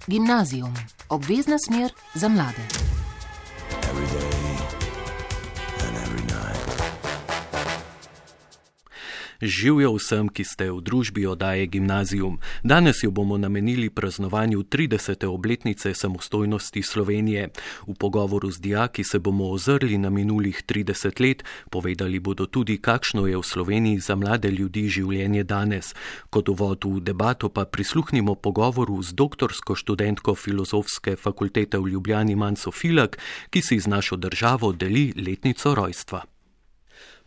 Gimnazijum, obvezna smer za mlade. Živjo vsem, ki ste v družbi oddaje Gimnazijum. Danes jo bomo namenili praznovanju 30. obletnice samostojnosti Slovenije. V pogovoru z dijaki se bomo ozrli na minulih 30 let, povedali bodo tudi, kakšno je v Sloveniji za mlade ljudi življenje danes. Kot uvod v debato pa prisluhnimo pogovoru z doktorsko študentko Filozofske fakultete v Ljubljani Manco Filak, ki si z našo državo deli letnico rojstva.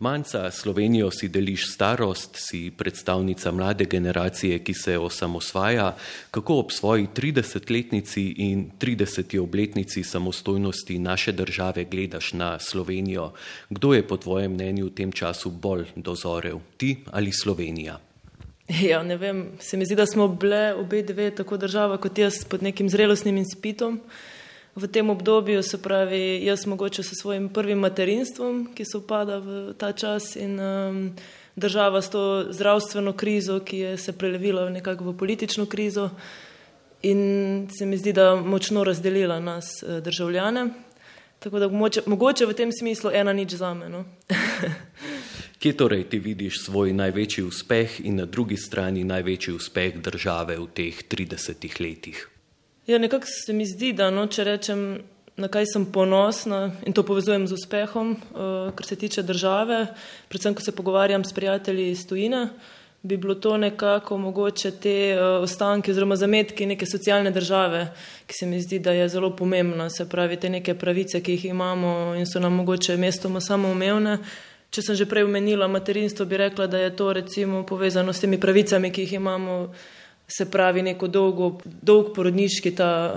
Manca, Slovenijo si deliš starost, si predstavnica mlade generacije, ki se osamosvaja. Kako ob svoji 30-letnici in 30. obletnici samostojnosti naše države gledaš na Slovenijo? Kdo je po tvojem mnenju v tem času bolj dozorel, ti ali Slovenija? Ja, ne vem, se mi zdi, da smo bile obe dve, tako država kot jaz, pod nekim zrelostnim izpitom. V tem obdobju, se pravi, jaz mogoče s svojim prvim materinstvom, ki se upada v ta čas, in država s to zdravstveno krizo, ki je se prelevila nekako v politično krizo, in se mi zdi, da močno razdelila nas državljane. Tako da mogoče v tem smislu 1-0 zame, no. Kje torej ti vidiš svoj največji uspeh in na drugi strani največji uspeh države v teh 30 letih? Ja, nekako se mi zdi, da če rečem, na kaj sem ponosna, in to povezujem z uspehom, kar se tiče države, predvsem, ko se pogovarjam s prijatelji iz tujine, bi bilo to nekako mogoče te ostanke oziroma zametki neke socialne države, ki se mi zdi, da je zelo pomembna, se pravi, te neke pravice, ki jih imamo in so nam mogoče mestoma samoumevne. Če sem že prej omenila materinstvo, bi rekla, da je to recimo povezano s temi pravicami, ki jih imamo, se pravi neko dolg porodniški ta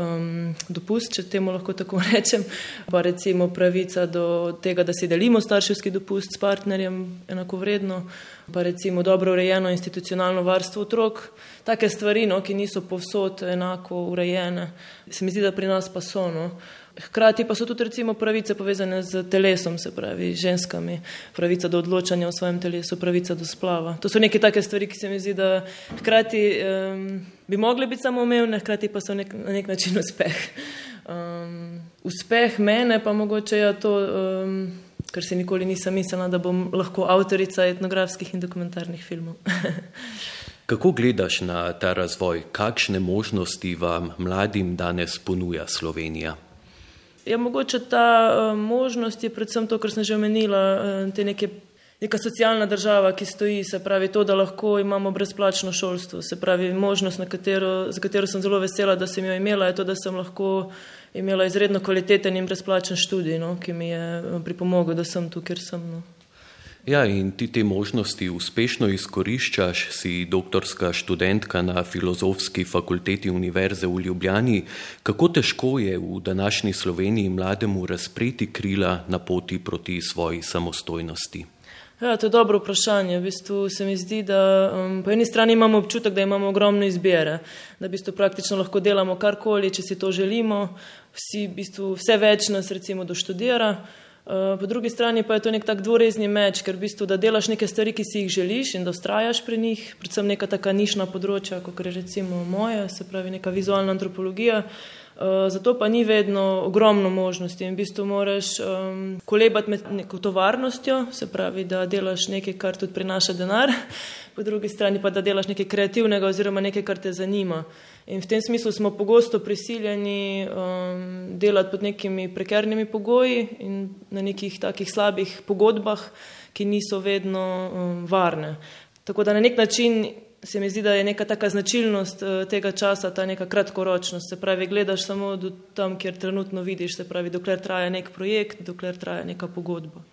dopust, če temu lahko tako rečem, pa recimo pravica do tega, da si delimo starševski dopust s partnerjem enakovredno, pa recimo dobro urejeno institucionalno varstvo otrok, take stvari, ki niso povsod enako urejene. Se mi zdi, da pri nas pa so, Hkrati pa so tudi recimo pravice povezane z telesom, se pravi ženskami, pravica do odločanja o svojem telesu, pravica do splava. To so neke take stvari, ki se mi zdi, da hkrati bi mogle biti samoumevne, hkrati pa so na nek način uspeh. Uspeh mene pa mogoče je to, ker si nikoli nisem mislila, da bom lahko avtorica etnografskih in dokumentarnih filmov. Kako gledaš na ta razvoj? Kakšne možnosti vam mladim danes ponuja Slovenija? Ja, mogoče ta možnost je predvsem to, kar sem že omenila, neka socialna država, ki stoji, se pravi to, da lahko imamo brezplačno šolstvo, se pravi možnost, za katero sem zelo vesela, da sem jo imela, je to, da sem lahko imela izredno kvaliteten in brezplačen študij, ki mi je pripomogel, da sem tu, kjer sem. Ja, in ti te možnosti uspešno izkoriščaš, si doktorska študentka na Filozofski fakulteti Univerze v Ljubljani. Kako težko je v današnji Sloveniji mlademu razpreti krila na poti proti svoji samostojnosti? Ja, to je dobro vprašanje. V bistvu se mi zdi, da po eni strani imamo občutek, da imamo ogromno izbire, da v bistvu praktično lahko delamo karkoli, če si to želimo, vse več nas recimo doštudira. Po drugi strani pa je to nek tak dvorezni meč, ker v bistvu, da delaš neke stvari, ki si jih želiš in da vztrajaš pri njih, predvsem neka taka nišna področja, kot je recimo moja, se pravi neka vizualna antropologija, zato pa ni vedno ogromno možnosti in v bistvu moraš kolebati med neko tovarnostjo, se pravi, da delaš nekaj, kar tudi prinaša denar, po drugi strani pa, da delaš nekaj kreativnega oziroma nekaj, kar te zanima. In v tem smislu smo pogosto prisiljeni delati pod nekimi prekernimi pogoji in na nekih takih slabih pogodbah, ki niso vedno varne. Tako da na nek način se mi zdi, da je neka taka značilnost tega časa, ta neka kratkoročnost, se pravi, gledaš samo do tam, kjer trenutno vidiš, se pravi, dokler traja nek projekt, dokler traja neka pogodba.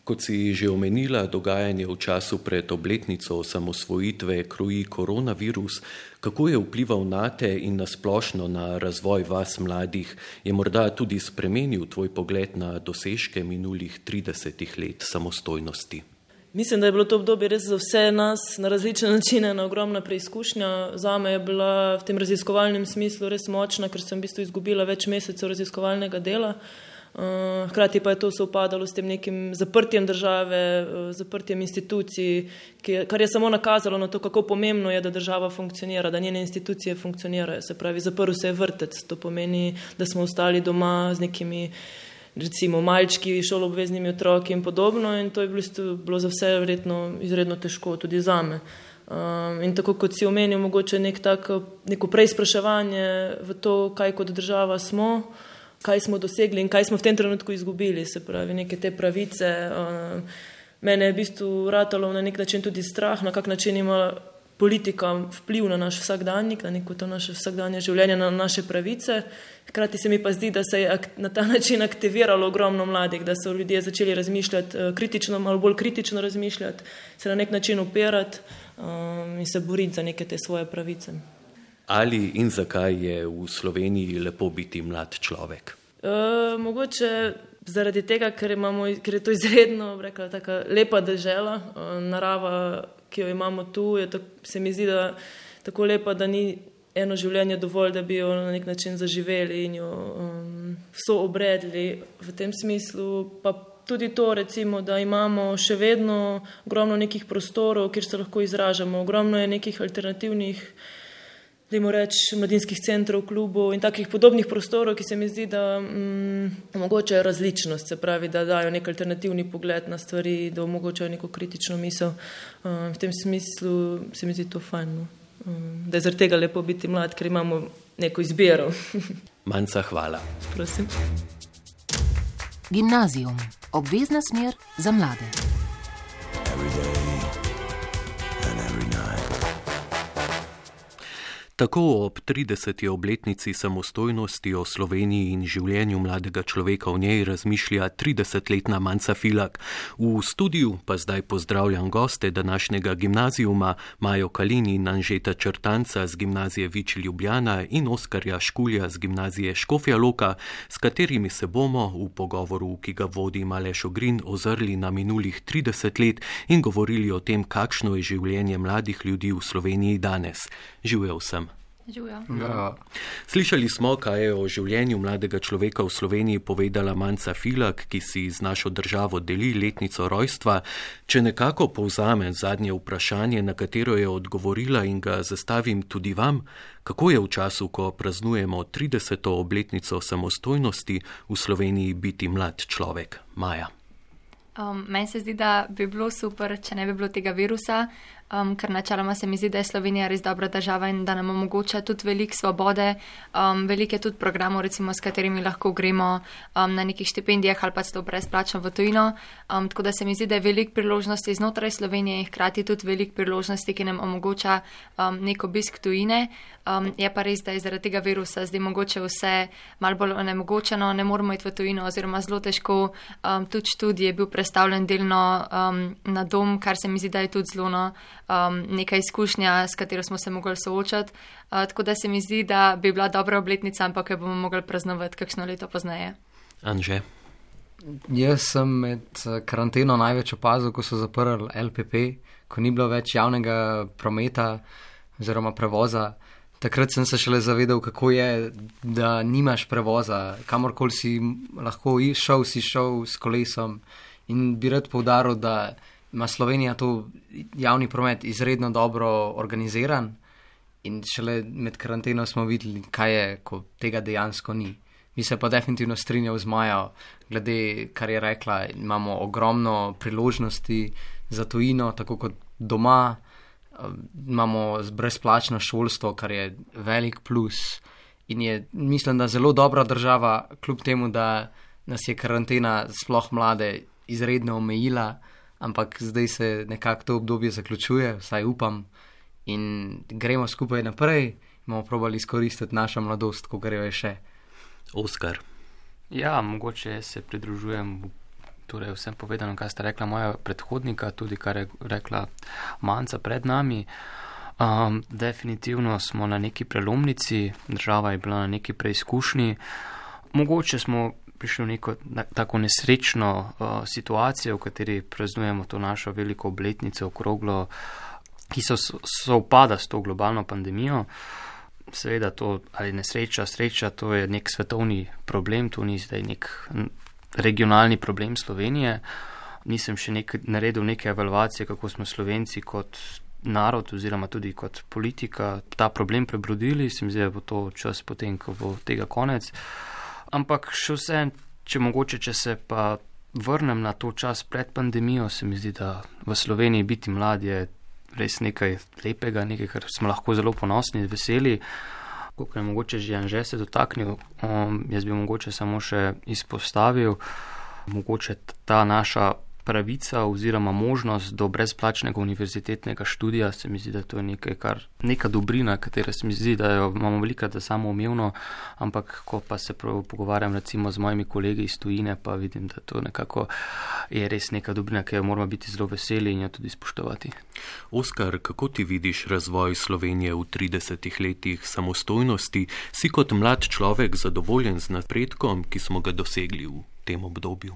Kot si že omenila, dogajanje v času pred obletnico osamosvojitve kroji koronavirus. Kako je vplival nate in na splošno na razvoj vas mladih? Je morda tudi spremenil tvoj pogled na dosežke minulih 30 let samostojnosti? Mislim, da je bilo to obdobje res za vse nas na različne načine na ogromna preizkušnja. Zame je bila v tem raziskovalnem smislu res močna, ker sem v bistvu izgubila več mesecev raziskovalnega dela. Hkrati pa je to sovpadalo s tem nekim zaprtjem države, zaprtjem institucij, kar je samo nakazalo na to, kako pomembno je, da država funkcionira, da njene institucije funkcionirajo. Se pravi, zaprl se je vrtec, to pomeni, da smo ostali doma z nekimi recimo malčki, šoloobveznimi otroki in podobno, in to je bilo za vse verjetno izredno težko, tudi zame. In tako kot si omenil, mogoče neko preizpraševanje v to, kaj kot država smo, kaj smo dosegli in kaj smo v tem trenutku izgubili, se pravi, neke te pravice. Mene je v bistvu ratalo na nek način tudi strah, na kak način ima politika vpliv na naš vsakdanjik, na neko to naše vsakdanje življenje, na naše pravice. Hkrati se mi pa zdi, da se je na ta način aktiviralo ogromno mladih, da so ljudje začeli razmišljati kritično, malo bolj kritično razmišljati, se na nek način upirati in se boriti za neke te svoje pravice. Ali in zakaj je v Sloveniji lepo biti mlad človek? Mogoče zaradi tega, ker je to izredno, rekla, taka lepa dežela, narava, ki jo imamo tu, se mi zdi, da tako lepa, da ni eno življenje dovolj, da bi jo na nek način zaživeli in jo vso obredli. V tem smislu pa tudi to, recimo, da imamo še vedno ogromno nekih prostorov, kjer se lahko izražamo. Ogromno je nekih alternativnih, dajmo reči, mladinskih centrov, klubov in takih podobnih prostorov, ki se mi zdi, da omogočajo različnost, se pravi, da dajo nek alternativni pogled na stvari, da omogočajo neko kritično misel. V tem smislu se mi zdi to fajn, no? Da je zaradi tega lepo biti mlad, ker imamo neko izbiro. Manca, hvala. Prosim. Gimnazijum. Obvezna smer za mlade. Tako ob 30. obletnici samostojnosti o Sloveniji in življenju mladega človeka v njej razmišlja 30-letna Manca Filak. V studiu pa zdaj pozdravljam goste današnjega gimnazijuma, Majo Kalin in Anžeta Črtanca z gimnazije Vič Ljubljana in Oskarja Škulja z gimnazije Škofja Loka, s katerimi se bomo v pogovoru, ki ga vodi Aleš Ogrin, ozrli na minulih 30 let in govorili o tem, kakšno je življenje mladih ljudi v Sloveniji danes. Živel sem. Ja. Slišali smo, kaj je o življenju mladega človeka v Sloveniji povedala Manca Filak, ki si z našo državo deli letnico rojstva. Če nekako povzamem zadnje vprašanje, na katero je odgovorila in ga zastavim tudi vam, kako je v času, ko praznujemo 30. obletnico samostojnosti v Sloveniji biti mlad človek? Maja. Meni se zdi, da bi bilo super, če ne bi bilo tega virusa, ker načeloma se mi zdi, da je Slovenija res dobra država in da nam omogoča tudi veliko svobode, veliko je tudi programov, recimo, s katerimi lahko gremo na nekih štipendijah ali pa celo brezplačno v tujino, tako da se mi zdi, da je veliko priložnosti znotraj Slovenije in hkrati tudi veliko priložnosti, ki nam omogoča nek obisk tujine. Je pa res, da je zaradi tega virusa zdaj mogoče vse malo bolj onemogočeno, ne moramo iti v tujino oziroma zelo težko, tudi študij je bil prestavljen delno na dom, kar se mi zdi, da je tudi zelo neka izkušnja, s katero smo se mogli soočati, tako da se mi zdi, da bi bila dobra obletnica, ampak jo bomo mogli praznovati kakšno leto pozneje. Anže? Jaz sem med karanteno največ opazil, ko so zaprli LPP, ko ni bilo več javnega prometa oziroma prevoza. Takrat sem se šele zavedal, kako je, da nimaš prevoza, kamorkoli si lahko šel, si šel s kolesom, in bi rad poudaril, da ima Slovenija to javni promet izredno dobro organiziran in šele med karanteno smo videli, kaj je, ko tega dejansko ni. Mi se pa definitivno strinjal z Majo, glede, kar je rekla, imamo ogromno priložnosti za tujino, tako kot doma, imamo brezplačno šolstvo, kar je velik plus in je, mislim, da zelo dobra država, kljub temu, da nas je karantena sploh mlade izredno omejila, ampak zdaj se nekako to obdobje zaključuje, vsaj upam, in gremo skupaj naprej, bomo probali izkoristiti našo mladost, ko grejo je še. Oskar. Ja, mogoče se pridružujem torej vsem povedano, kar sta rekla moja predhodnika, tudi kar je rekla Manca pred nami. Definitivno smo na neki prelomnici, država je bila na neki preizkušnji. Mogoče smo prišli v neko tako nesrečno situacijo, v kateri praznujemo to našo veliko obletnico okroglo, ki so upada s to globalno pandemijo. Seveda to, ali nesreča, sreča, to je nek svetovni problem, to ni zdaj nek regionalni problem Slovenije. Nisem še naredil neke evalvacije, kako smo Slovenci kot narod oziroma tudi kot politika ta problem prebrodili. Se mi zdi, da bo to čas potem, ko bo tega konec. Ampak še vse, če se pa vrnem na to čas pred pandemijo, se mi zdi, da v Sloveniji biti mlad je res nekaj lepega, nekaj, kar smo lahko zelo ponosni, veseli. Kako je mogoče že Anže se dotaknil, jaz bi mogoče samo še izpostavil, mogoče ta naša pravica oziroma možnost do brezplačnega univerzitetnega študija, se mi zdi, da to je neka dobrina, katera se mi zdi, da jo imamo velikrat za samoumevno, ampak ko pa se pogovarjam recimo z mojimi kolegi iz tujine, pa vidim, da to nekako je res neka dobrina, ki jo moramo biti zelo veseli in jo tudi spoštovati. Oskar, kako ti vidiš razvoj Slovenije v 30 letih samostojnosti? Si kot mlad človek zadovoljen z napredkom, ki smo ga dosegli v tem obdobju?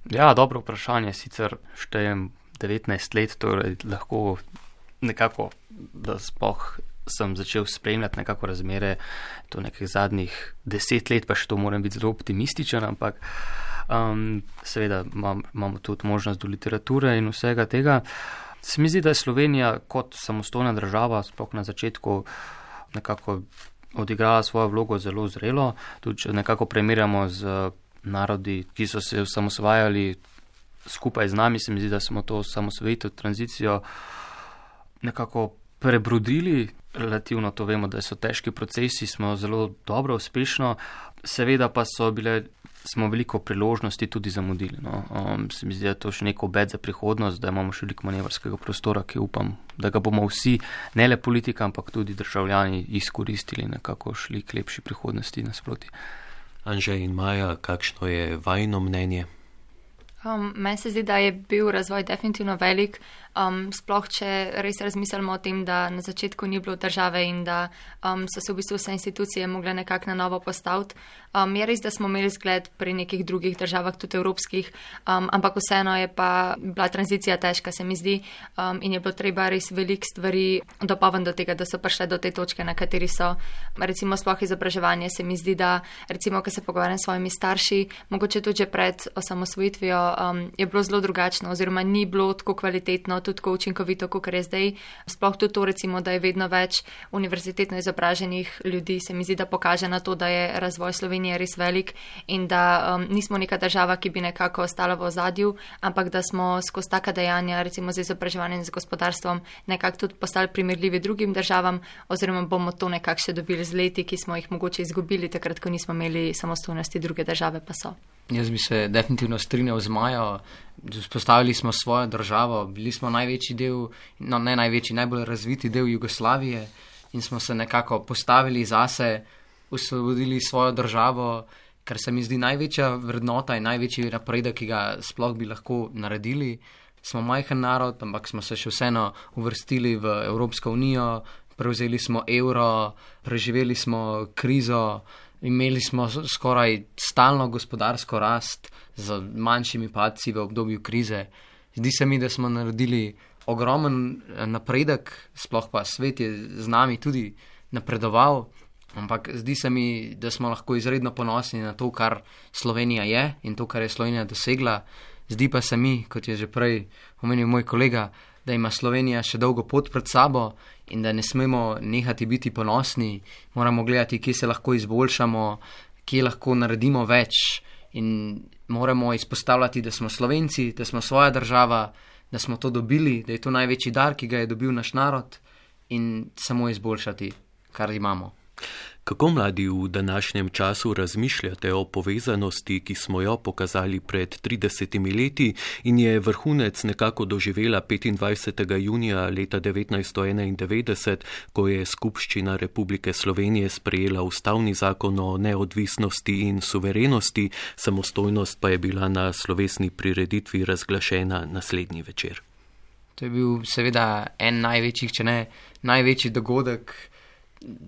Ja, dobro vprašanje, sicer štejem 19 let, torej lahko nekako, da sploh sem začel spremljati nekako razmere, to nekih zadnjih 10 let, pa še to moram biti zelo optimističen, ampak seveda imamo tudi možnost do literature in vsega tega. Se mi zdi, da je Slovenija kot samostojna država, sploh na začetku nekako odigrala svojo vlogo zelo zrelo, tudi če nekako primerjamo z narodi, ki so se osamosvajali skupaj z nami, se mi zdi, da smo to osamosvojitev, tranzicijo nekako prebrodili. Relativno to vemo, da so težki procesi, smo zelo dobro, uspešno, seveda pa smo veliko priložnosti tudi zamudili. No. Se mi zdi, da je to še neko obet za prihodnost, da imamo še veliko manevrskega prostora, ki upam, da ga bomo vsi, ne le politika, ampak tudi državljani izkoristili, nekako šli k lepši prihodnosti nasproti. Anže in Maja, kakšno je vajino mnenje? Meni se zdi, da je bil razvoj definitivno velik, sploh če res razmislimo o tem, da na začetku ni bilo države in da so se v bistvu vse institucije mogle nekako na novo postaviti. Je res, da smo imeli zgled pri nekih drugih državah, tudi evropskih, ampak vseeno je pa bila tranzicija težka, se mi zdi, in je bilo treba res veliko stvari dopolniti do tega, da so prišle do te točke, na kateri so. Recimo sploh izobraževanje, se mi zdi, da recimo, ko se pogovarjam s svojimi starši, mogoče tudi že pred osamosvojitvijo, je bilo zelo drugačno oziroma ni bilo tako kvalitetno, tudi tako učinkovito, kot je zdaj. Sploh tudi to, recimo, da je vedno več univerzitetno izobraženih ljudi, se mi zdi, da pokaže na to, da je razvoj Slovenije res velik in da nismo neka država, ki bi nekako ostala v ozadju, ampak da smo skozi taka dejanja, recimo z izobraževanjem in z gospodarstvom, nekako tudi postali primerljivi drugim državam, oziroma bomo to nekako še dobili z leti, ki smo jih mogoče izgubili takrat, ko nismo imeli samostojnosti, druge države pa so. Jaz bi se definitivno strinjal z Majo. Vzpostavili smo svojo državo, bili smo največji del, no ne največji, najbolj razviti del Jugoslavije in smo se nekako postavili zase, osvobodili svojo državo, kar se mi zdi največja vrednota in največji napredek, ki ga sploh bi lahko naredili. Smo majhen narod, ampak smo se še vseeno uvrstili v Evropsko unijo, prevzeli smo evro, preživeli smo krizo, imeli smo skoraj stalno gospodarsko rast z manjšimi padci v obdobju krize. Zdi se mi, da smo naredili ogromen napredek, sploh pa svet je z nami tudi napredoval, ampak zdi se mi, da smo lahko izredno ponosni na to, kar Slovenija je in to, kar je Slovenija dosegla. Zdi pa se mi, kot je že prej omenil moj kolega, da ima Slovenija še dolgo pot pred sabo in da ne smemo nehati biti ponosni, moramo gledati, kje se lahko izboljšamo, kje lahko naredimo več in moramo izpostavljati, da smo Slovenci, da smo svoja država, da smo to dobili, da je to največji dar, ki ga je dobil naš narod in samo izboljšati, kar imamo. Kako mladi v današnjem času razmišljate o povezanosti, ki smo jo pokazali pred 30 leti in je vrhunec nekako doživela 25. junija leta 1991, ko je Skupščina Republike Slovenije sprejela ustavni zakon o neodvisnosti in suverenosti, samostojnost pa je bila na slovesni prireditvi razglašena naslednji večer? To je bil seveda en največjih, če ne največji dogodek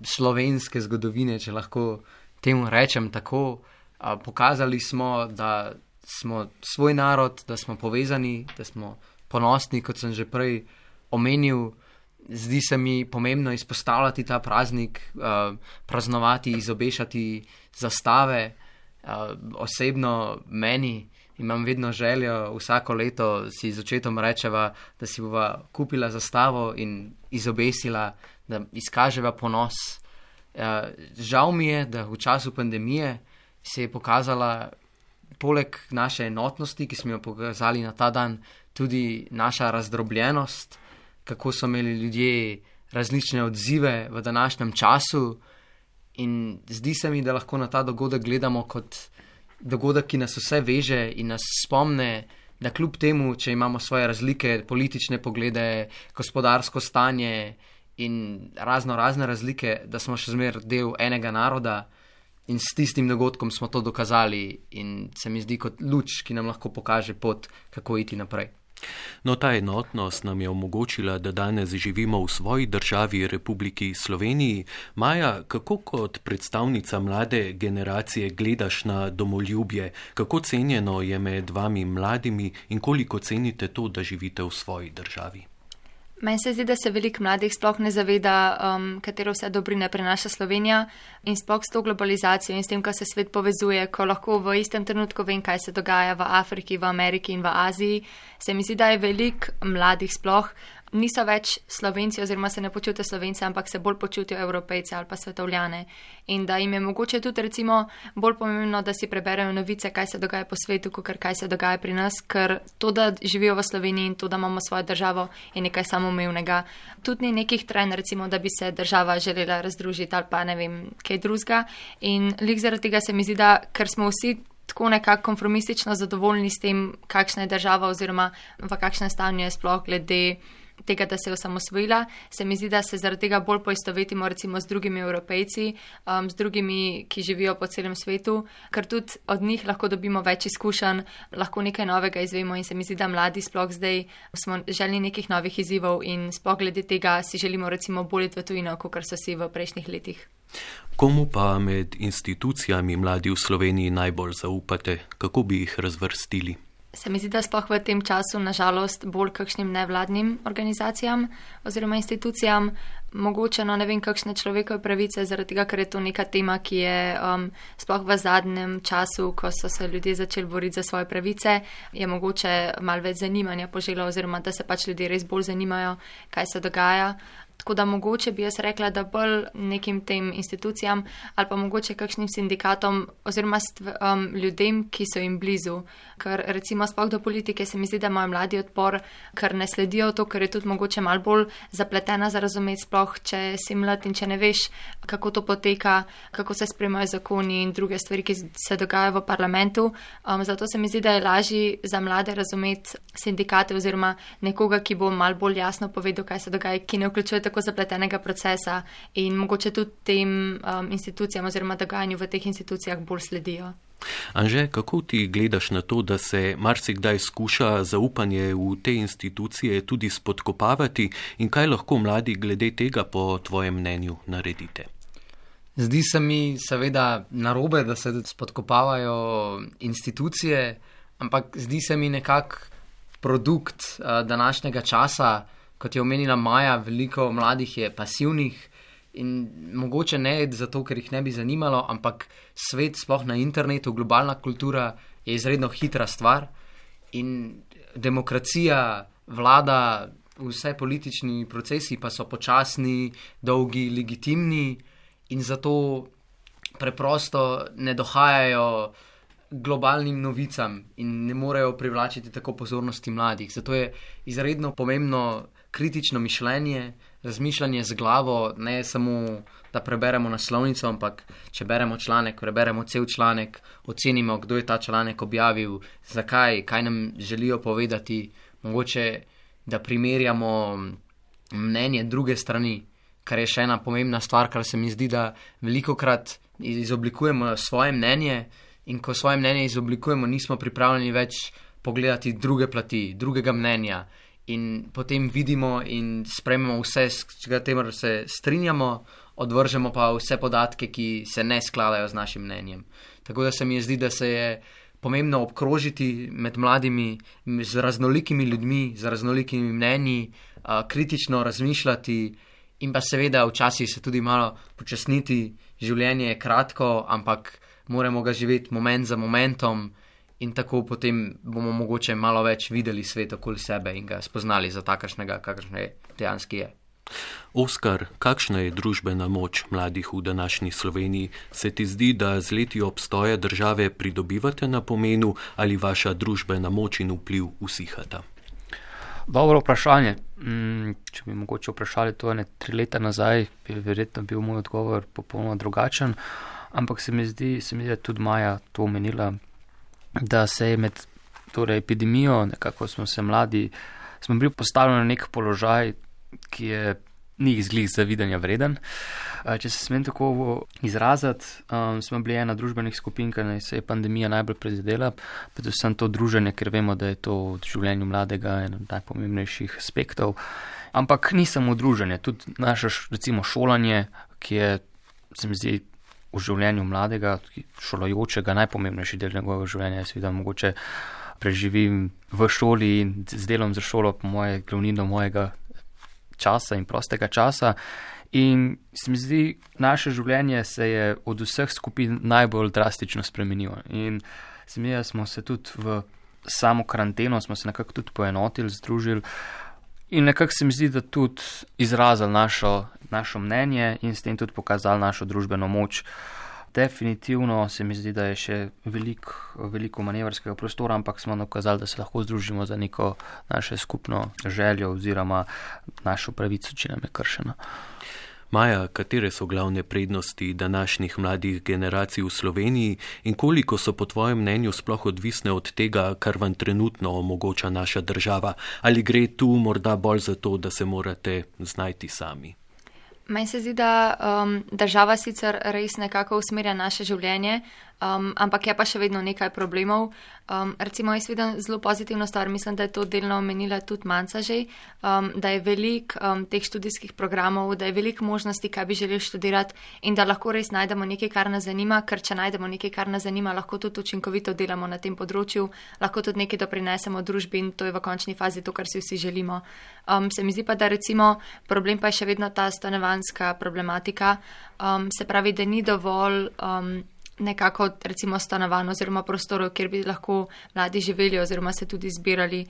slovenske zgodovine, če lahko temu rečem tako. Pokazali smo, da smo svoj narod, da smo povezani, da smo ponosni, kot sem že prej omenil. Zdi se mi pomembno izpostavljati ta praznik, praznovati, izobešati zastave, Osebno meni imam vedno željo, vsako leto si z očetom rečeva, da si bova kupila zastavo in izobesila, da izkaževa ponos. Žal mi je, da v času pandemije se je pokazala poleg naše enotnosti, ki smo jo pokazali na ta dan, tudi naša razdrobljenost, kako so imeli ljudje različne odzive v današnjem času, in zdi se mi, da lahko na ta dogodek gledamo kot dogodek, ki nas vse veže in nas spomne, da kljub temu, če imamo svoje razlike, politične poglede, gospodarsko stanje in razne razlike, da smo še zmer del enega naroda, in s tistim dogodkom smo to dokazali, in se mi zdi kot luč, ki nam lahko pokaže pot, kako iti naprej. No, ta enotnost nam je omogočila, da danes živimo v svoji državi, Republiki Sloveniji. Maja, kako kot predstavnica mlade generacije gledaš na domoljubje? Kako cenjeno je med vami mladimi in koliko cenite to, da živite v svoji državi? Meni se zdi, da se veliko mladih sploh ne zaveda, katero vse dobrine prinaša Slovenija, in sploh s to globalizacijo in s tem, ko se svet povezuje, ko lahko v istem trenutku vem, kaj se dogaja v Afriki, v Ameriki in v Aziji. Se mi zdi, da je veliko mladih sploh niso več Slovenci oziroma se ne počutijo Slovence, ampak se bolj počutijo Evropejce ali pa svetovljane. In da jim je mogoče tudi recimo bolj pomembno, da si preberejo novice, kaj se dogaja po svetu, kot kaj se dogaja pri nas, ker to, da živijo v Sloveniji in to, da imamo svojo državo, je nekaj samoumevnega. Tudi ni nekih trenj, recimo, da bi se država želela razdružiti ali pa ne vem, kaj drugega. In lik zaradi tega se mi zdi, da ker smo vsi tako nekako konformistično zadovoljni s tem, kakšna je država oziroma v kakšnem stanju je sploh glede tega, da se je osamosvojila, se mi zdi, da se zaradi tega bolj poistovetimo recimo z drugimi Evropejci, z drugimi, ki živijo po celem svetu, ker tudi od njih lahko dobimo več izkušenj, lahko nekaj novega izvemo, in se mi zdi, da mladi sploh zdaj smo želni nekih novih izzivov in sploh glede tega si želimo recimo bolj v tujino, kot so si v prejšnjih letih. Komu pa med institucijami mladi v Sloveniji najbolj zaupate? Kako bi jih razvrstili? Se mi zdi, da sploh v tem času nažalost bolj kakšnim nevladnim organizacijam oziroma institucijam, mogoče ne vem kakšne človekove pravice, zaradi tega, ker je to neka tema, ki je sploh v zadnjem času, ko so se ljudje začeli boriti za svoje pravice, je mogoče malo več zanimanja poželo oziroma da se pač ljudje res bolj zanimajo, kaj se dogaja. Tako da mogoče bi jaz rekla, da bolj nekim tem institucijam ali pa mogoče kakšnim sindikatom oziroma ljudem, ki so jim blizu. Ker recimo sploh do politike se mi zdi, da imajo mladi odpor, ker ne sledijo to, ker je tudi mogoče malo bolj zapletena za razumeti, sploh če si mlad in če ne veš, kako to poteka, kako se sprejemajo zakoni in druge stvari, ki se dogajajo v parlamentu. Zato se mi zdi, da je lažje za mlade razumeti sindikate oziroma nekoga, ki bo malo bolj jasno povedal, kaj se dogaja, ki ne vključuje tako zapletenega procesa in mogoče tudi tem institucijam oziroma dogajanju v teh institucijah bolj sledijo. Anže, kako ti gledaš na to, da se marsikdaj skuša zaupanje v te institucije tudi spodkopavati, in kaj lahko mladi glede tega po tvojem mnenju naredite? Zdi se mi seveda narobe, da se spodkopavajo institucije, ampak zdi se mi nekako produkt današnjega časa. Kot je omenila Maja, veliko mladih je pasivnih in mogoče ne zato, ker jih ne bi zanimalo, ampak svet, sploh na internetu, globalna kultura je izredno hitra stvar in demokracija vlada, vse politični procesi pa so počasni, dolgi, legitimni in zato preprosto ne dohajajo globalnim novicam in ne morejo privlačiti tako pozornosti mladih. Zato je izredno pomembno kritično mišljenje, razmišljanje z glavo, ne samo, da preberemo naslovnico, ampak če beremo članek, preberemo cel članek, ocenimo, kdo je ta članek objavil, zakaj, kaj nam želijo povedati, mogoče, da primerjamo mnenje druge strani, kar je še ena pomembna stvar, kar se mi zdi, da velikokrat izoblikujemo svoje mnenje in ko svoje mnenje izoblikujemo, nismo pripravljeni več pogledati druge plati, drugega mnenja. In potem vidimo in sprejmemo vse, s katerim se strinjamo, odvržemo pa vse podatke, ki se ne skladajo z našim mnenjem. Tako da se mi zdi, da se je pomembno obkrožiti med mladimi z raznolikimi ljudmi, z raznolikimi mnenji, kritično razmišljati In pa seveda včasih se tudi malo počasniti, življenje je kratko, ampak moramo ga živeti moment za momentom in tako potem bomo mogoče malo več videli svet okoli sebe in ga spoznali za takšnega, kakršne dejanski je. Oskar, kakšna je družbena moč mladih v današnji Sloveniji? Se ti zdi, da z leti obstoja države pridobivate na pomenu ali vaša družbena moč in vpliv usihata? Dobro vprašanje. Če bi mogoče vprašali to 3 leta nazaj, bi verjetno bil moj odgovor popolnoma drugačen, ampak se mi zdi, da je tudi Maja to omenila, da se je med epidemijo, nekako smo bili postavljeni na nek položaj, ki je ni izglih zavidanja vreden. Če se smem tako izraziti, smo bili ena družbenih skupin, ker se je pandemija najbolj prizadela, predvsem to druženje, ker vemo, da je to v življenju mladega en od najpomembnejših aspektov. Ampak ni samo druženje, tudi naše recimo šolanje, ki je, se mi zdi, v življenju mladega, šolajočega, najpomembnejši del njegovega življenja. Jaz vidim, mogoče preživim v šoli in z delom za šolo po moje glavnino mojega časa in prostega časa. In se mi zdi, naše življenje se je od vseh skupin najbolj drastično spremenilo. In se mi zdi, da smo se tudi v samo karanteno, smo se nekako tudi poenotili, združili in nekako se mi zdi, da tudi izrazili našo mnenje in s tem tudi pokazali našo družbeno moč. Definitivno se mi zdi, da je še veliko manevrskega prostora, ampak smo dokazali, da se lahko združimo za neko naše skupno željo oziroma našo pravico, če nam je kršena. Maja, katere so glavne prednosti današnjih mladih generacij v Sloveniji in koliko so po tvojem mnenju sploh odvisne od tega, kar vam trenutno omogoča naša država? Ali gre tu morda bolj za to, da se morate znajti sami? Meni se zdi, da država sicer res nekako usmerja naše življenje, ampak je pa še vedno nekaj problemov. Recimo, jaz vidim zelo pozitivno stvar, mislim, da je to delno omenila tudi Manca že, da je veliko teh študijskih programov, da je veliko možnosti, kaj bi želeli študirati in da lahko res najdemo nekaj, kar nas zanima, ker če najdemo nekaj, kar nas zanima, lahko tudi učinkovito delamo na tem področju, lahko tudi nekaj doprinesemo družbi in to je v končni fazi to, kar si vsi želimo. Se mi zdi pa, da recimo problem pa je še vedno ta stanovanjska problematika, se pravi, da ni dovolj nekako recimo stanovanj oziroma prostorov, kjer bi lahko mladi živeli oziroma se tudi zbirali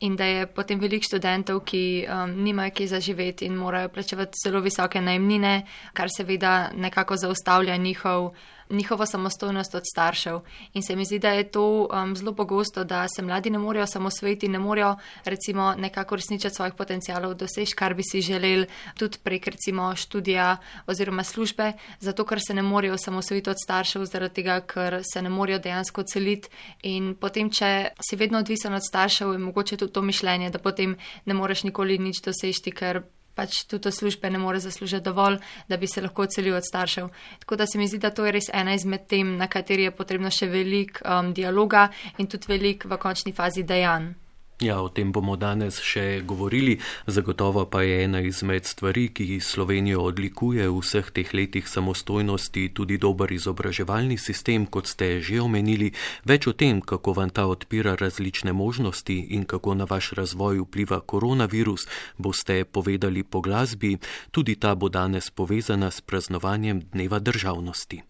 in da je potem veliko študentov, ki nimajo kje za živeti in morajo plačevati zelo visoke najemnine, kar seveda nekako zaustavlja njihovo samostojnost od staršev. In se mi zdi, da je to zelo pogosto, da se mladi ne morejo samosvojiti, ne morejo recimo nekako resničiti svojih potencialov, doseči, kar bi si želeli tudi prek recimo študija oziroma službe, zato ker se ne morejo samosvojiti od staršev, zaradi tega, ker se ne morejo dejansko celiti. In potem, če si vedno odvisen od staršev, je mogoče tudi to mišljenje, da potem ne moreš nikoli nič doseči, ker pač tudi službe ne more zaslužiti dovolj, da bi se lahko odselil od staršev. Tako da se mi zdi, da to je res ena izmed tem, na kateri je potrebno še veliko dialoga in tudi veliko v končni fazi dejanj. Ja, o tem bomo danes še govorili, zagotovo pa je ena izmed stvari, ki Slovenijo odlikuje v vseh teh letih samostojnosti, tudi dober izobraževalni sistem, kot ste že omenili. Več o tem, kako vam ta odpira različne možnosti in kako na vaš razvoj vpliva koronavirus, boste povedali po glasbi. Tudi ta bo danes povezana s praznovanjem Dneva državnosti.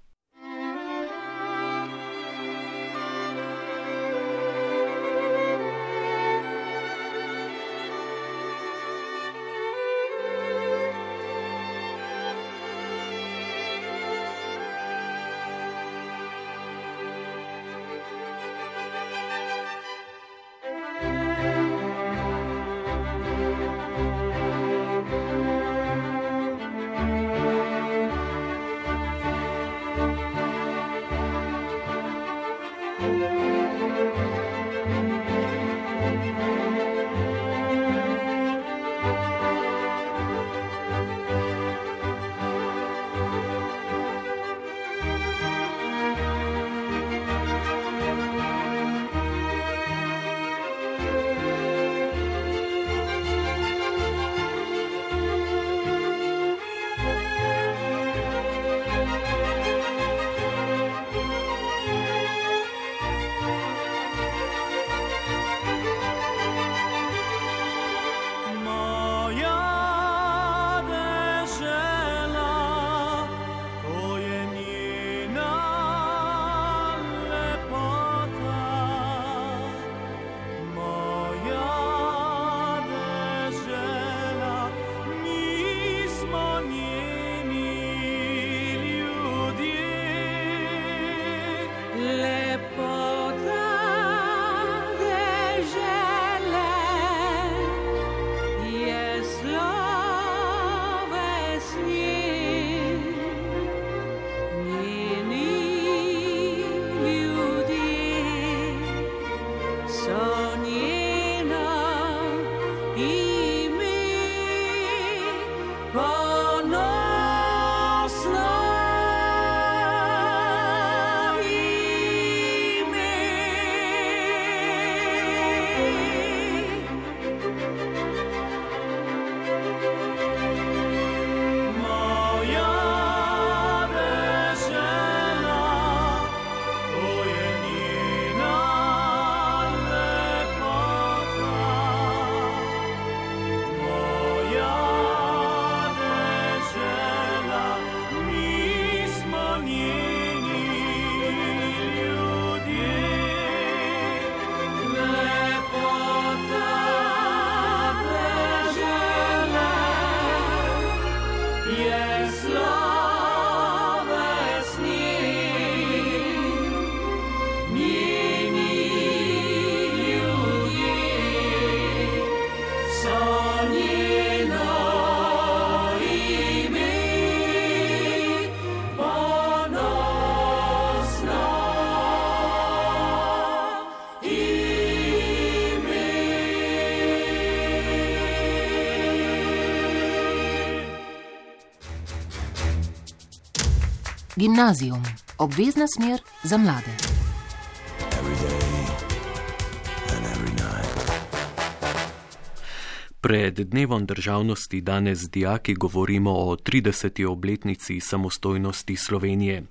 Gimnazijum, obvezna smer za mlade. Pred dnevom državnosti danes z dijaki govorimo o 30. obletnici samostojnosti Slovenije.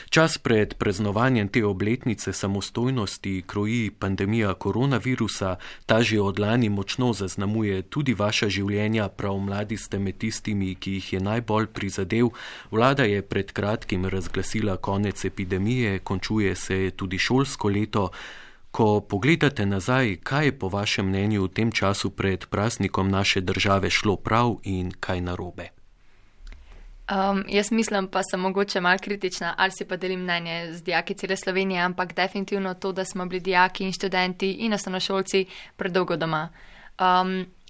Čas pred praznovanjem te obletnice samostojnosti kroji pandemija koronavirusa, ta že od lani močno zaznamuje tudi vaša življenja, prav mladi ste med tistimi, ki jih je najbolj prizadel. Vlada je pred kratkim razglasila konec epidemije, končuje se tudi šolsko leto. Ko pogledate nazaj, kaj je po vašem mnenju v tem času pred praznikom naše države šlo prav in kaj narobe? Jaz mislim, pa sem mogoče malo kritična, ali si pa delim mnenje z dijaki cele Slovenije, ampak definitivno to, da smo bili dijaki in študenti in osnovnošolci predolgo doma.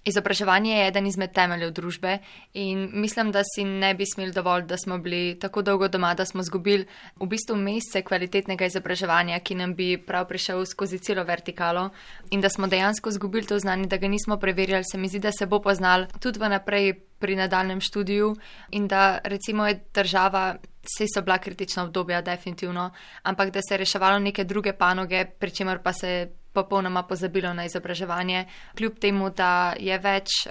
Izobraževanje je eden izmed temeljev družbe in mislim, da si ne bi smeli dovolj, da smo bili tako dolgo doma, da smo zgubili v bistvu mesece kvalitetnega izobraževanja, ki nam bi prav prišel skozi celo vertikalo in da smo dejansko zgubili to znanje, da ga nismo preverjali, se mi zdi, da se bo poznal tudi vnaprej pri nadaljnem študiju in da recimo je država, saj so bila kritična obdobja definitivno, ampak da se je reševalo neke druge panoge, pri čemer pa se popolnoma pozabilo na izobraževanje, kljub temu, da je več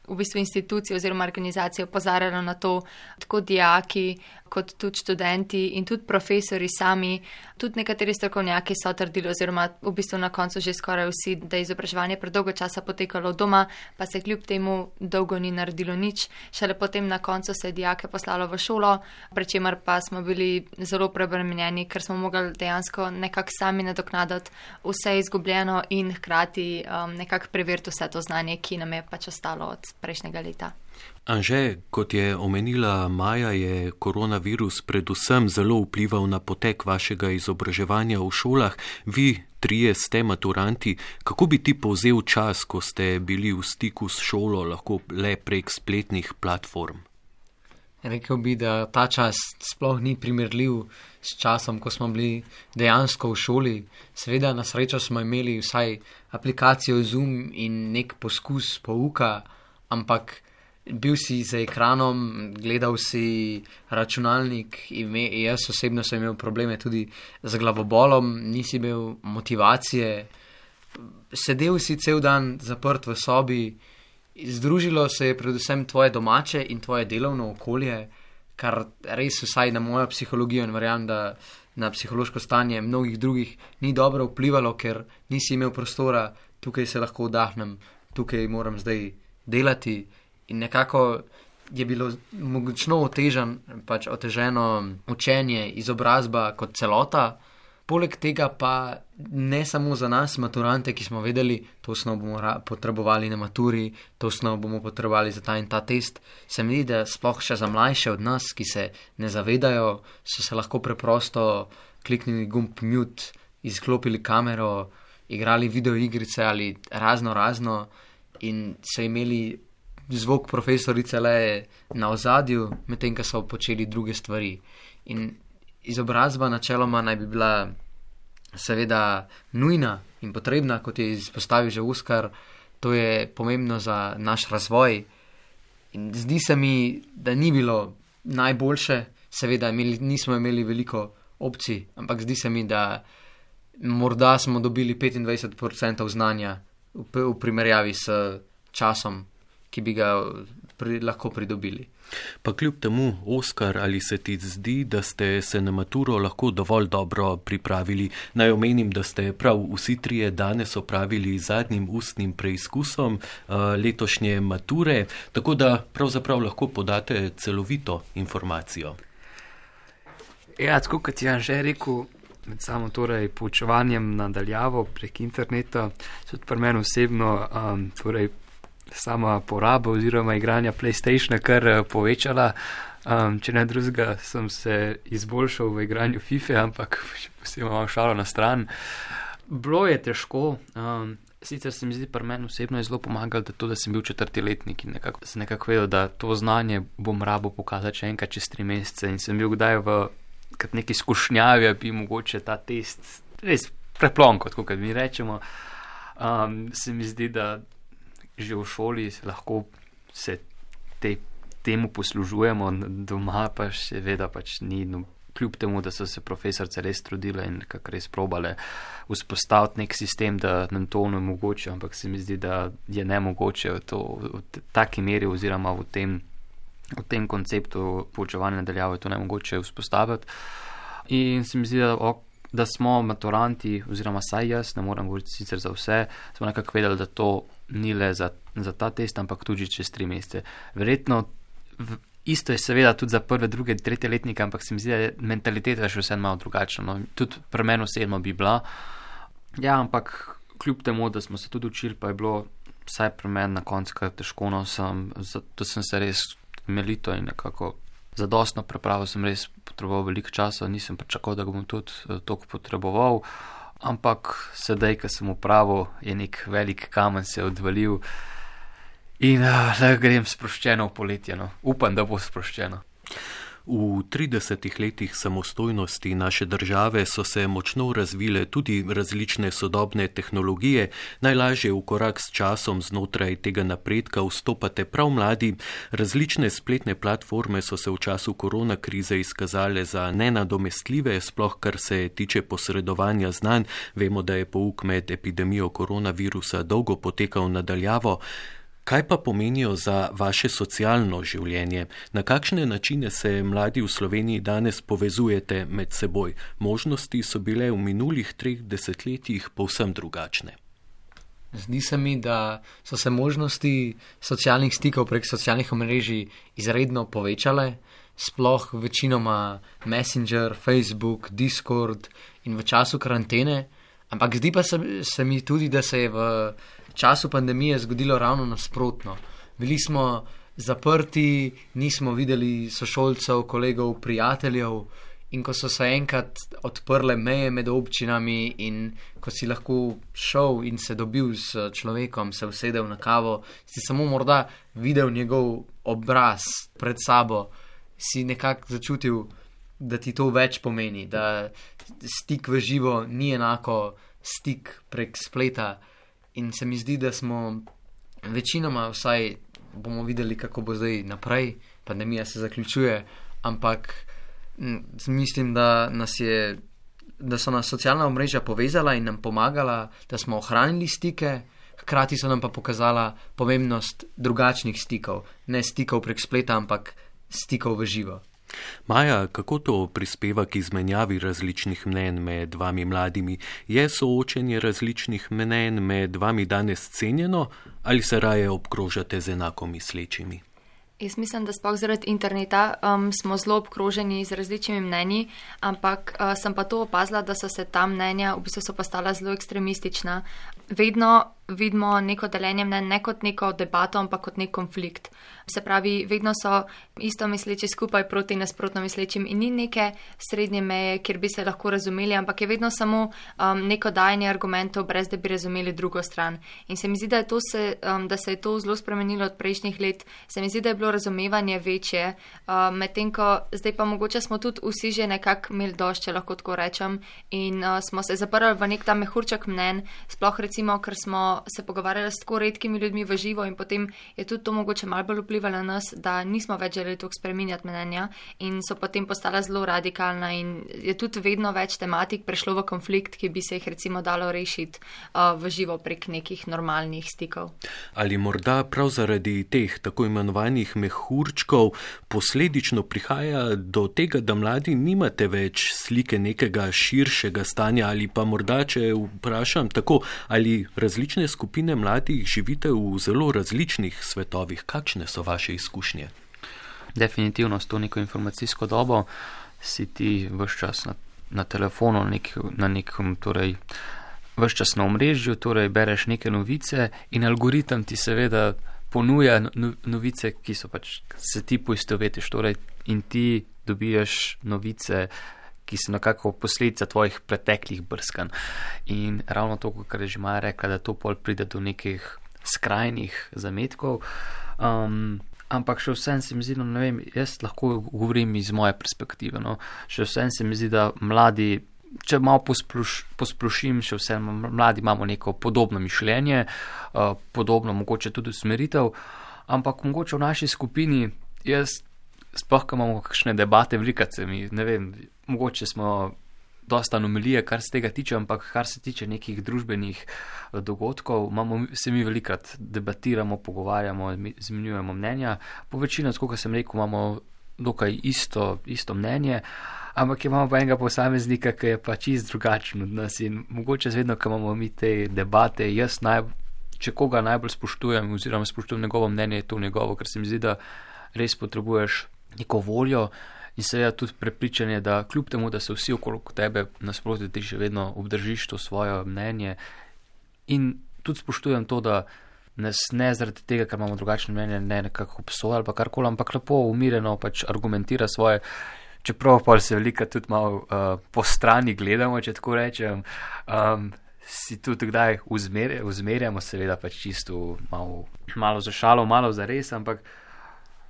v bistvu institucij oziroma organizacij opozarjalo na to, tako dijaki kot tudi študenti in tudi profesori sami, tudi nekateri strokovnjaki so trdili oziroma v bistvu na koncu že skoraj vsi, da je izobraževanje predolgo časa potekalo doma, pa se kljub temu dolgo ni naredilo nič. Šele potem na koncu se je dijake poslalo v šolo, pri čemer pa smo bili zelo preobremenjeni, ker smo mogli dejansko nekako sami nadoknaditi vse izgubljeno in hkrati nekako preveriti vse to znanje, ki nam je pač ostalo od prejšnjega leta. Anže, kot je omenila Maja, je koronavirus predvsem zelo vplival na potek vašega izobraževanja v šolah. Vi, trije ste maturanti, kako bi ti povzel čas, ko ste bili v stiku s šolo, lahko le prek spletnih platform? Rekel bi, da ta čas sploh ni primerljiv s časom, ko smo bili dejansko v šoli. Seveda, na srečo smo imeli vsaj aplikacijo Zoom in nek poskus pouka, ampak bil si za ekranom, gledal si računalnik, jaz osebno sem imel probleme tudi z glavobolom, nisi imel motivacije, sedel si cel dan zaprt v sobi, združilo se je predvsem tvoje domače in tvoje delovno okolje, kar res vsaj na mojo psihologijo in verjamem, da na psihološko stanje mnogih drugih ni dobro vplivalo, ker nisi imel prostora, tukaj se lahko vdahnem, tukaj moram zdaj delati. In nekako je bilo mogočno oteženo učenje, izobrazba kot celota. Poleg tega pa ne samo za nas, maturante, ki smo vedeli, to osnov bomo potrebovali na maturi, to osnov bomo potrebovali za ta in ta test. Se mi zdi, da sploh še za mlajše od nas, ki se ne zavedajo, so se lahko preprosto kliknili gumb mute, izklopili kamero, igrali videoigrice ali razno in so imeli zvok profesorice le na ozadju, medtem ko so počeli druge stvari. In izobrazba načeloma naj bi bila seveda nujna in potrebna, kot je izpostavil že Oskar, to je pomembno za naš razvoj. In zdi se mi, da ni bilo najboljše, seveda nismo imeli veliko opcij, ampak zdi se mi, da morda smo dobili 25% znanja v primerjavi s časom, ki bi ga lahko pridobili. Pa kljub temu, Oskar, ali se ti zdi, da ste se na maturo lahko dovolj dobro pripravili? Naj omenim, da ste prav vsi trije danes opravili zadnjim ustnim preizkusom letošnje mature, tako da pravzaprav lahko podate celovito informacijo. Ja, tako kot je Anže rekel, med samo torej poučevanjem nadaljavo prek interneta, so tudi pri meni osebno sama poraba oziroma igranja PlayStationa kar povečala. Če ne drugega, sem se izboljšal v igranju FIFA, ampak posebej imam šalo na stran. Bilo je težko, sicer se mi zdi, pri meni osebno je zelo pomagalo, da sem bil 4. letnik in sem nekako vedel, da to znanje bom rabo pokazati še enkrat čez 3 mesece in sem bil kdaj kot neki skušnjavi, bi mogoče ta test res preplonko, tako kot mi rečemo. Se mi zdi, da že v šoli lahko se temu poslužujemo, doma pa seveda pač ni kljub temu, da so se profesorice res trudile in nekako res probale vzpostaviti nek sistem, da nam to onemogoče, ampak se mi zdi, da je nemogoče v taki meri oziroma v tem konceptu poučevanja nadaljavo je to nemogoče vzpostaviti. In se mi zdi, da smo maturanti, oziroma saj jaz, ne moram govoriti sicer za vse, smo nekako vedeli, da to ni le za ta test, ampak tudi čez 3 mesece. Verjetno isto je seveda tudi za prve, druge, tretje letnike, ampak se mi zdi, da je mentaliteta še vse malo drugačna. No. Tudi pri meni osebno bi bila. Ja, ampak kljub temu, da smo se tudi učili, pa je bilo vsaj pri meni na koncu kar težko, no, zato sem se res temeljito in nekako zadostno prepravil, sem res potreboval veliko časa, nisem pričakoval, da ga bom tudi toliko potreboval, ampak sedaj, ko sem upravil, je nek velik kamen se odvalil in da grem sproščeno v poletje, no. Upam, da bo sproščeno. V 30 letih samostojnosti naše države so se močno razvile tudi različne sodobne tehnologije. Najlažje v korak s časom znotraj tega napredka vstopate prav mladi. Različne spletne platforme so se v času korona krize izkazale za nenadomestljive, sploh kar se tiče posredovanja znanj. Vemo, da je pouk med epidemijo koronavirusa dolgo potekal nadaljavo. Kaj pa pomenijo za vaše socialno življenje? Na kakšne načine se mladi v Sloveniji danes povezujete med seboj? Možnosti so bile v minulih 3 desetletjih povsem drugačne. Zdi se mi, da so se možnosti socialnih stikov prek socialnih omrežij izredno povečale, sploh večinoma Messenger, Facebook, Discord in v času karantene, ampak zdi pa se mi tudi, da se je v času pandemije zgodilo ravno nasprotno. Bili smo zaprti, nismo videli sošolcev, kolegov, prijateljev in ko so se enkrat odprle meje med občinami in ko si lahko šel in se dobil s človekom, se usedel na kavo, si samo morda videl njegov obraz pred sabo, si nekako začutil, da ti to več pomeni, da stik v živo ni enako stik prek spleta. In se mi zdi, da smo večinoma, vsaj bomo videli, kako bo zdaj naprej, pandemija se zaključuje, ampak mislim, da so nas socialna omrežja povezala in nam pomagala, da smo ohranili stike, hkrati so nam pa pokazala pomembnost drugačnih stikov, ne stikov prek spleta, ampak stikov v živo. Maja, kako to prispeva k izmenjavi različnih mnenj med vami mladimi? Je soočenje različnih mnenj med vami danes cenjeno ali se raje obkrožate z enako mislečimi? Jaz mislim, da sploh zaradi interneta smo zelo obkroženi z različnimi mnenji, ampak sem pa to opazila, da so se ta mnenja v bistvu so postala zelo ekstremistična. Vedno vidimo neko deljenje mnenj ne kot neko debato, ampak kot nek konflikt. Se pravi, vedno so isto misleči skupaj proti nasprotno mislečim in ni neke srednje meje, kjer bi se lahko razumeli, ampak je vedno samo neko dajanje argumentov, brez da bi razumeli drugo stran. In se mi zdi, da se je to zelo spremenilo od prejšnjih let. Se mi zdi, da je bilo razumevanje večje, medtem ko zdaj pa mogoče smo tudi vsi že nekako imeli dosti, če lahko tako rečem, in smo se zaprli v nek ta mehurček mnenj, sploh recimo, ker smo se pogovarjali s tako redkimi ljudmi v živo in potem je tudi to mogoče malo bolj vplivalo na nas, da nismo več želeli toliko spreminjati mnenja in so potem postala zelo radikalna in je tudi vedno več tematik prešlo v konflikt, ki bi se jih recimo dalo rešiti v živo prek nekih normalnih stikov. Ali morda prav zaradi teh tako imenovanih mehurčkov posledično prihaja do tega, da mladi nimate več slike nekega širšega stanja ali pa morda, če vprašam tako, ali različne skupine mladih živite v zelo različnih svetovih? Kakšne so vaše izkušnje? Definitivno s to neko informacijsko dobo si ti vse čas na telefonu, na nekem, torej vse čas na omrežju, torej bereš neke novice in algoritem ti seveda ponuja novice, ki so pač se ti poistovetiš, torej in ti dobiješ novice, ki so nekako posledica tvojih preteklih brskanj. In ravno to, kar je že Maja rekla, da to pol pride do nekih skrajnih zametkov. Ampak še vsem se mi zdi, no ne vem, jaz lahko govorim iz moje perspektive, no. Še vsem se mi zdi, da mladi, če malo posplošim, še vsem mladi imamo neko podobno mišljenje, podobno mogoče tudi usmeritev, ampak mogoče v naši skupini, jaz sploh, ko imamo kakšne debate, velikrat se mi, ne vem, mogoče smo dosta anomalije, kar se tega tiče, ampak kar se tiče nekih družbenih dogodkov, se mi velikrat debatiramo, pogovarjamo, izmenjujemo mnenja. Po večini, kot sem rekel, imamo dokaj isto mnenje, ampak imamo pa enega posameznika, ki je pa čist drugačen od nas in mogoče zvedno, ko imamo mi te debate, če koga najbolj spoštujem oziroma spoštujem njegovo mnenje, je to njegovo, ker se mi zdi, da res potrebuješ neko voljo in seveda tudi prepričanje, da kljub temu, da se vsi okrog tebe nasproti, ti še vedno obdržiš to svoje mnenje in tudi spoštujem to, da nas ne zaradi tega, ker imamo drugačno mnenje, ne nekako obsoja ali pa karkoli, ampak lepo umireno pač argumentira svoje, čeprav pa se velika tudi malo po strani gledamo, če tako rečem, si tudi kdaj uzmerjamo, seveda pač čisto malo za šalo, malo za res, ampak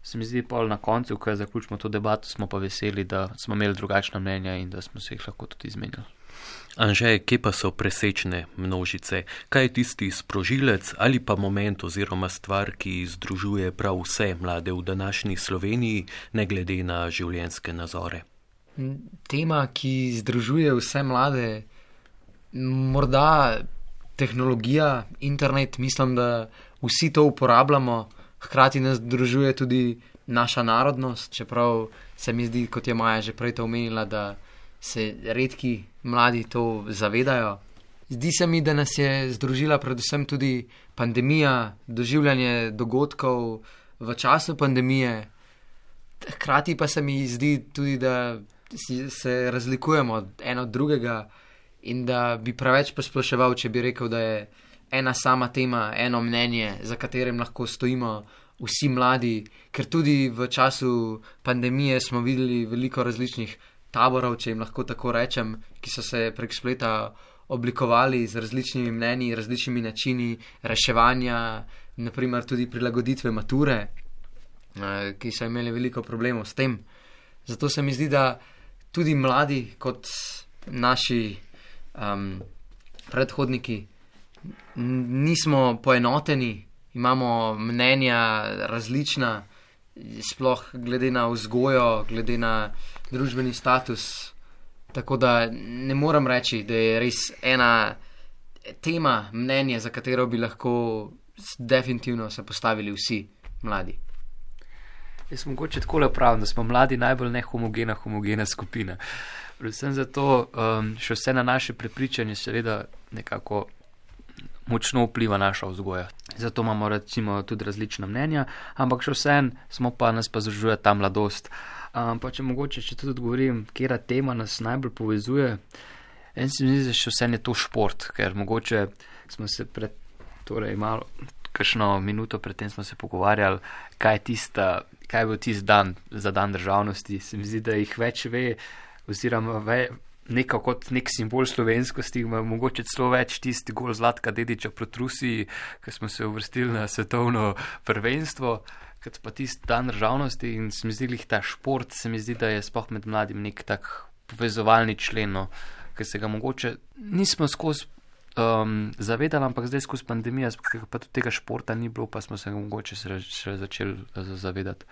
se mi zdi pol na koncu, ko zaključimo to debato, smo pa veseli, da smo imeli drugačna mnenja in da smo se jih lahko tudi izmenjali. Anže, kje pa so presečne množice? Kaj je tisti sprožilec ali pa moment oziroma stvar, ki združuje prav vse mlade v današnji Sloveniji, ne glede na življenjske nazore? Tema, ki združuje vse mlade, morda tehnologija, internet, mislim, da vsi to uporabljamo, hkrati nas združuje tudi naša narodnost, čeprav se mi zdi, kot je Maja že prej to omenila, da se redki mladi to zavedajo. Zdi se mi, da nas je združila predvsem tudi pandemija, doživljanje dogodkov v času pandemije. Hkrati pa se mi zdi tudi, da se razlikujemo eno od drugega in da bi preveč posploševal, če bi rekel, da je ena sama tema, eno mnenje, za katerim lahko stojimo vsi mladi, ker tudi v času pandemije smo videli veliko različnih taborov, če jim lahko tako rečem, ki so se prek spleta oblikovali z različnimi mnenji, različnimi načini reševanja, naprimer tudi prilagoditve mature, ki so imeli veliko problemov s tem. Zato se mi zdi, da tudi mladi kot naši predhodniki nismo poenoteni, imamo mnenja različna, sploh glede na vzgojo, glede na družbeni status. Tako da ne morem reči, da je res ena tema, mnenje, za katero bi lahko definitivno se postavili vsi mladi. Jaz mogoče takole pravim, da smo mladi najbolj homogena skupina. Predvsem zato še vse na naše prepričanje seveda nekako močno vpliva naša vzgoja. Zato imamo recimo tudi različna mnenja, ampak še vsem nas pa združuje ta mladost. Pa če mogoče, če tudi odgovorim, kjera tema nas najbolj povezuje, en se mi zdi, da še vsem je to šport, ker mogoče smo se malo, kakšno minuto predtem smo se pogovarjali, kaj je bil tisti dan za dan državnosti. Se mi zdi, da jih več ve, oziroma nekako kot nek simbol slovenskosti, mogoče celo več tisti gol Zlatka Dedića proti Rusiji, ko smo se uvrstili na svetovno prvenstvo, kot pa tisti dan državnosti in se mi zdi, ta šport, se mi zdi, da je sploh med mladim nek tak povezovalni člen, ker se ga mogoče nismo skozi zavedali, ampak zdaj skozi pandemijo, pa tudi tega športa ni bilo, pa smo se ga mogoče še začeli zavedati.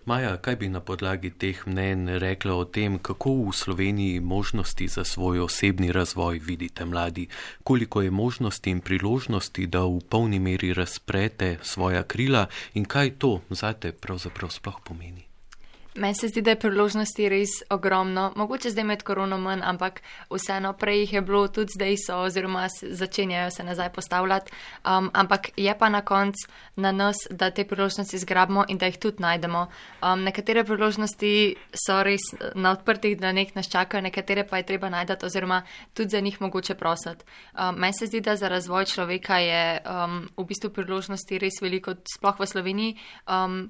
Maja, kaj bi na podlagi teh mnenj rekla o tem, kako v Sloveniji možnosti za svoj osebni razvoj vidite mladi? Koliko je možnosti in priložnosti, da v polni meri razprete svoja krila in kaj to zate pravzaprav sploh pomeni? Meni se zdi, da je priložnosti res ogromno. Mogoče zdaj med korono manj, ampak vseeno prej jih je bilo, tudi zdaj so, oziroma začenjajo se nazaj postavljati. Ampak je pa na koncu na nas, da te priložnosti zgrabimo in da jih tudi najdemo. Nekatere priložnosti so res na odprtih dlaneh nas čakajo, nekatere pa je treba najdati oziroma tudi za njih mogoče prositi. Meni se zdi, da za razvoj človeka je v bistvu priložnosti res veliko, sploh v Sloveniji,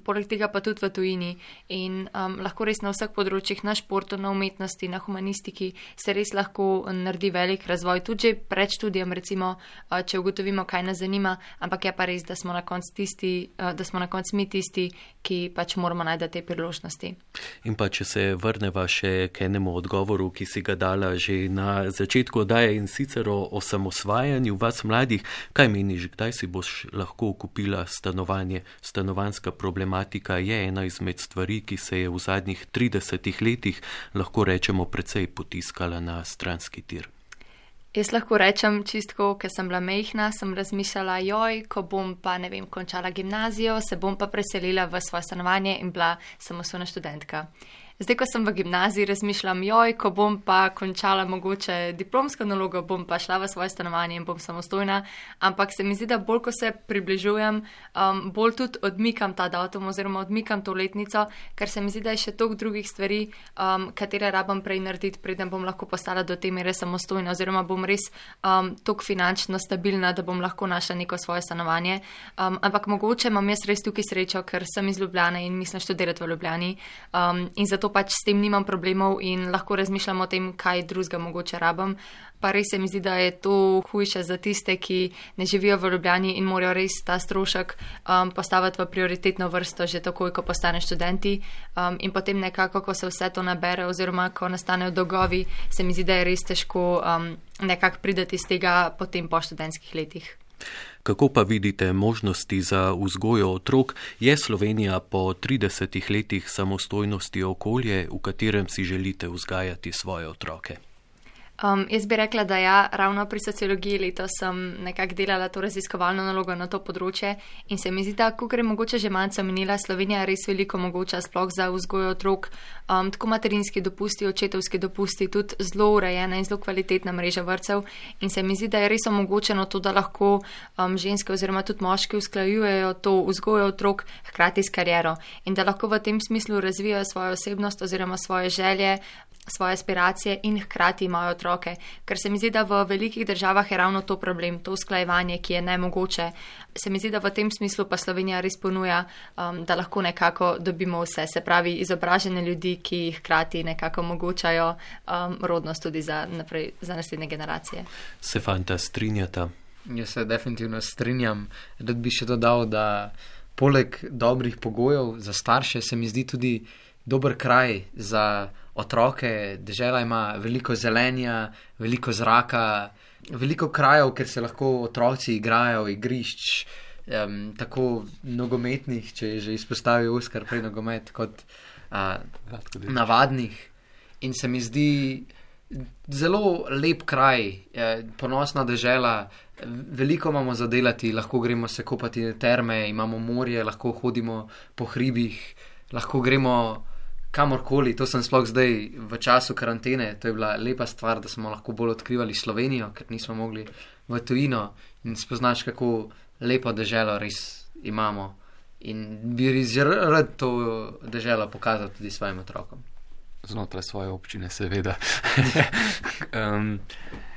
poleg tega pa tudi v tujini. In lahko res na vseh področjih, na športu, na umetnosti, na humanistiki se res lahko naredi velik razvoj, tudi že pred študijem, recimo, če ugotovimo, kaj nas zanima, ampak je pa res, da smo na koncu mi tisti, ki pač moramo najti te priložnosti. In pa, če se vrneva še k enemu odgovoru, ki si ga dala že na začetku oddaje in sicer o osamosvajanju vas mladih, kaj meniš, kdaj si boš lahko kupila stanovanje? Stanovanjska problematika je ena izmed stvari, ki se je je v zadnjih 30 letih, lahko rečemo, precej potiskala na stranski tir? Jaz lahko rečem čistko, ker sem bila majhna, sem razmišljala, ko bom pa, končala gimnazijo, se bom pa preselila v svoje stanovanje in bila samostojna študentka. Zdaj, ko sem v gimnaziji, razmišljam, ko bom pa končala mogoče diplomsko nalogo, bom pa šla v svoje stanovanje in bom samostojna, ampak se mi zdi, da bolj, ko se približujem, bolj tudi odmikam ta datum oziroma odmikam to letnico, ker se mi zdi, da je še toliko drugih stvari, katere rabam prej narediti, preden bom lahko postala do te mere samostojna oziroma bom res toliko finančno stabilna, da bom lahko našla neko svoje stanovanje. Ampak mogoče imam jaz res tukaj srečo, ker sem iz Ljubljane in mislim študirati v Ljubljani in zato pač s tem nimam problemov in lahko razmišljam o tem, kaj drugega mogoče rabam. Pa res se mi zdi, da je to hujše za tiste, ki ne živijo v Ljubljani in morajo res ta strošek postaviti v prioritetno vrsto že takoj, ko postane študenti. In potem nekako, ko se vse to nabere oziroma ko nastanejo dolgovi, se mi zdi, da je res težko nekako prideti iz tega potem po študentskih letih. Kako pa vidite možnosti za vzgojo otrok? Je Slovenija po 30 letih samostojnosti okolje, v katerem si želite vzgajati svoje otroke? Jaz bi rekla, da ja, ravno pri sociologiji letos sem nekako delala to raziskovalno nalogo na to področje in se mi zdi, da, kakor je mogoče že malce omenila, Slovenija res veliko omogoča sploh za vzgojo otrok, tako materinski dopusti, očetovski dopusti, tudi zelo urejena in zelo kvalitetna mreža vrtcev in se mi zdi, da je res omogočeno to, da lahko ženske oziroma tudi moški usklajujejo to vzgojo otrok hkrati s kariero in da lahko v tem smislu razvijajo svojo osebnost oziroma svoje želje, svoje aspiracije in hkrati imajo otroke. Ker se mi zdi, da v velikih državah je ravno to problem, to usklajevanje, ki je nemogoče. Se mi zdi, da v tem smislu pa Slovenija res ponuja, da lahko nekako dobimo vse, se pravi izobražene ljudi, ki hkrati nekako omogočajo rodnost tudi za naslednje generacije. Se fanta strinjata? Jaz se definitivno strinjam. Rad bi še dodal, da poleg dobrih pogojev za starše se mi zdi tudi dober kraj za otroke. Dežela ima veliko zelenja, veliko zraka, veliko krajev, kjer se lahko otroci igrajo, igrišč, tako nogometnih, če je že izpostavil Oskar prej nogomet, kot navadnih. In se mi zdi zelo lep kraj, ponosna dežela, veliko imamo za delati, lahko gremo se kopati na terme, imamo morje, lahko hodimo po hribih, lahko gremo kamorkoli. To sem sploh zdaj v času karantene, to je bila lepa stvar, da smo lahko bolj odkrivali Slovenijo, ker nismo mogli v tujino in spoznaš, kako lepo deželo res imamo in bi res rad to deželo pokazal tudi svojim otrokom. Znotraj svoje občine, seveda.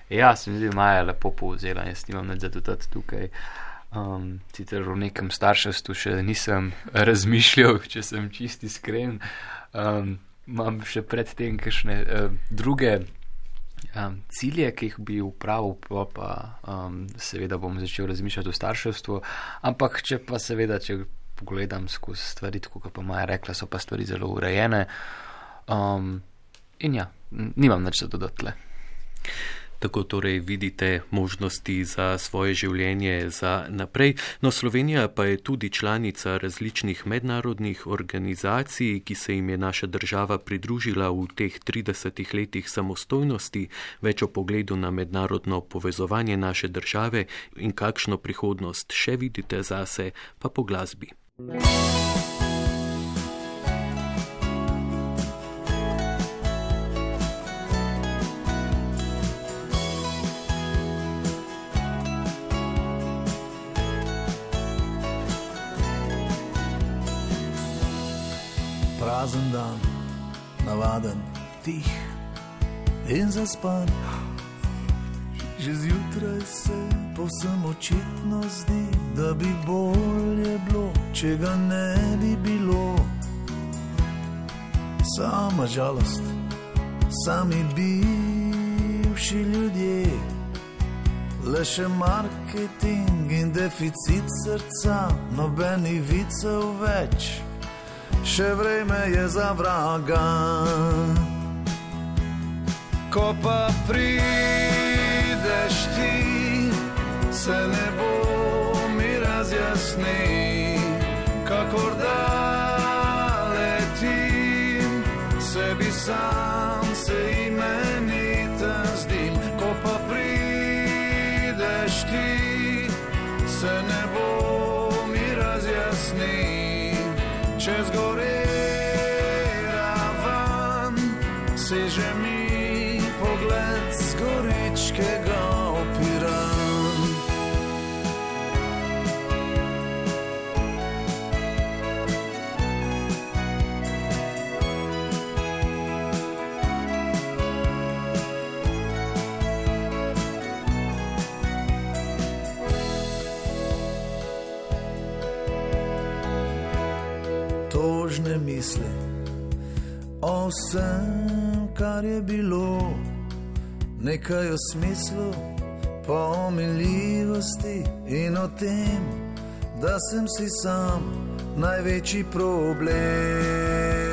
Ja, se mi zdi, Maja lepo povzela, jaz nimam nič za dodati tukaj. Sicer v nekem starševstvu še nisem razmišljal, če sem čisti iskren. Imam še predtem kakšne druge cilje, ki jih bi upravil, pa seveda bom začel razmišljati o starševstvu, ampak če pogledam skozi stvari, tako kot pa Maja rekla, so pa stvari zelo urejene in ja, nimam nič za dodati le. Tako torej vidite možnosti za svoje življenje za naprej. No, Slovenija pa je tudi članica različnih mednarodnih organizacij, ki se jim je naša država pridružila v teh 30 letih samostojnosti. Več o pogledu na mednarodno povezovanje naše države in kakšno prihodnost še vidite zase, pa po glasbi. Prazen dan, navaden, tih in zaspan. Že zjutraj se povsem očitno zdi, da bi bolje bilo, če ga ne bi bilo. Sama žalost, sami bivši ljudje, le še marketing in deficit srca, nobenih vicev več. Še vreme je za vraga. Ko pa prideš ti, se nebo mi razjasni, kakor da leti sam se imeniten zdim, ko pa prideš ti, se nebo mi razjasni, čez gore ravan, seže mi pogled z goričkega Piran. Tožne misli o vsem, kar je bilo, nekaj o smislu, pa o miljivosti in o tem, da sem si sam največji problem.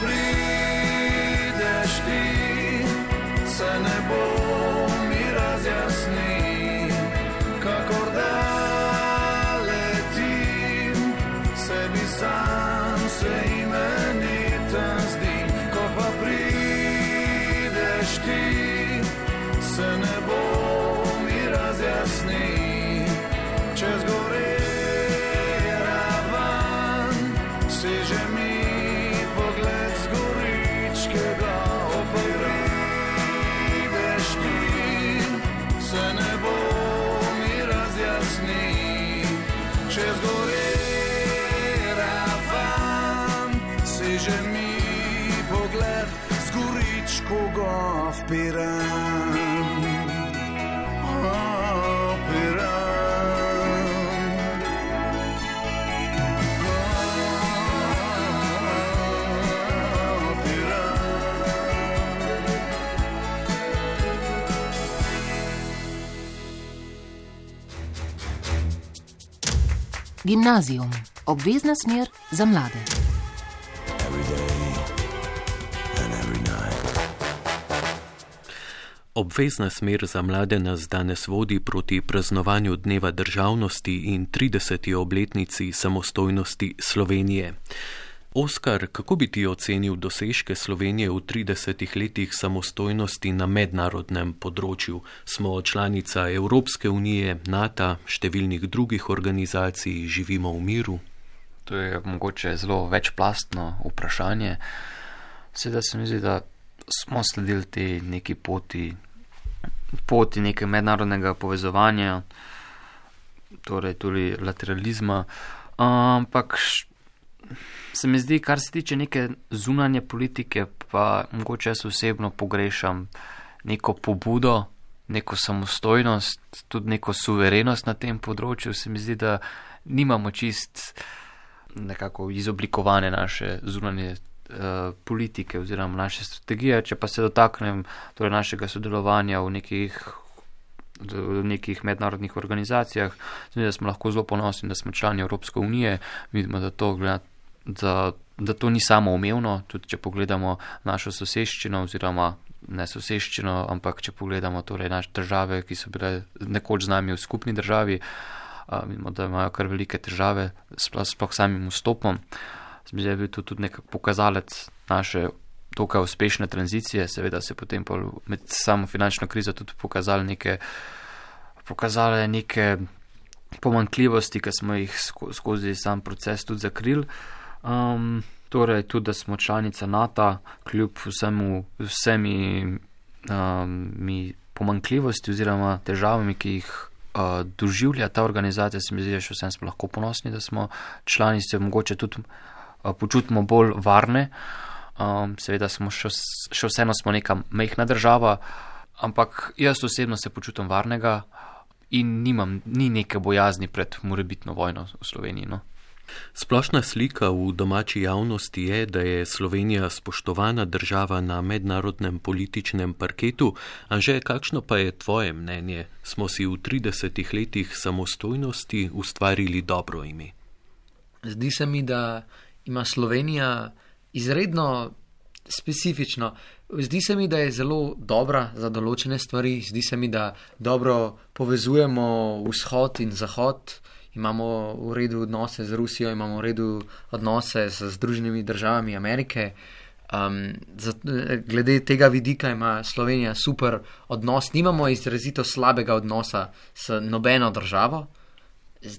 Prideš ti, se nebo mi razjasni, kakor da letim, sebi sam se imeniten zdim. Ko pa prideš ti, se nebo mi razjasni, čez gore ravan, seže mi čez gore ravan, seže mi pogled z goričkega Piran. Gimnazijum. Obvezna smer za mlade. Obvezna smer za mlade nas danes vodi proti praznovanju Dneva državnosti in 30. obletnici samostojnosti Slovenije. Oskar, kako bi ti ocenil dosežke Slovenije v 30 letih samostojnosti na mednarodnem področju? Smo članica Evropske unije, NATO, številnih drugih organizacij, živimo v miru? To je mogoče zelo večplastno vprašanje. Seveda se mi zdi, da smo sledili te neki poti nekega mednarodnega povezovanja, torej tudi lateralizma, ampak se mi zdi, kar se tiče neke zunanje politike, pa mogoče jaz osebno pogrešam neko pobudo, neko samostojnost, tudi neko suverenost na tem področju. Se mi zdi, da nimamo čist nekako izoblikovane naše zunanje politike oziroma naše strategije. Če pa se dotaknem torej našega sodelovanja v nekih mednarodnih organizacijah, da smo lahko zelo ponosni, da smo člani Evropske unije. Vidimo, da to ni samoumevno, tudi če pogledamo našo soseščino oziroma ne soseščino, ampak če pogledamo torej naše države, ki so bile nekoč z nami v skupni državi, vidimo, da imajo kar velike težave sploh samim vstopom. Zdaj je bil to tudi nekak pokazalec naše dokaj uspešne tranzicije, seveda se potem med samo finančno krizo tudi pokazale neke pomanjkljivosti, ki smo jih skozi sam proces tudi zakrili. Torej tudi, da smo članica NATO, kljub vsemi pomanjkljivosti oziroma težavami, ki jih doživlja ta organizacija, se mi zdi, še vsem smo lahko ponosni, da smo člani, se mogoče tudi počutimo bolj varne. Seveda smo še vseeno smo neka majhna država, ampak jaz osebno se počutim varnega in ni neke bojazni pred morebitno vojno v Sloveniji. No. Splošna slika v domači javnosti je, da je Slovenija spoštovana država na mednarodnem političnem parketu. Anže, kakšno pa je tvoje mnenje? Smo si v 30 letih samostojnosti ustvarili dobro ime? Zdi se mi, da ima Slovenija izredno specifično. Zdi se mi, da je zelo dobra za določene stvari, zdi se mi, da dobro povezujemo vzhod in zahod, imamo v redu odnose z Rusijo, imamo v redu odnose z Združenimi državami Amerike. Glede tega vidika ima Slovenija super odnos, nimamo izrazito slabega odnosa s nobeno državo.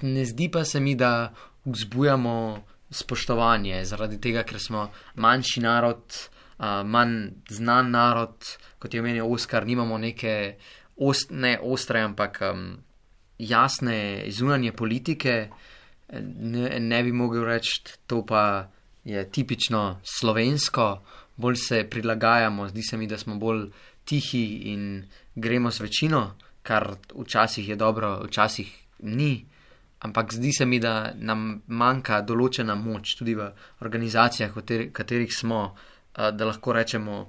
Ne zdi pa se mi, da vzbujamo spoštovanje zaradi tega, ker smo manjši narod, manj znan narod, kot je omenil Oskar, nimamo neke ne ostre, ampak jasne zunanje politike. Ne bi mogel reči, to pa je tipično slovensko, bolj se prilagajamo, zdi se mi, da smo bolj tihi in gremo z večino, kar včasih je dobro, včasih ni. Ampak zdi se mi, da nam manjka določena moč tudi v organizacijah, v katerih smo, da lahko rečemo,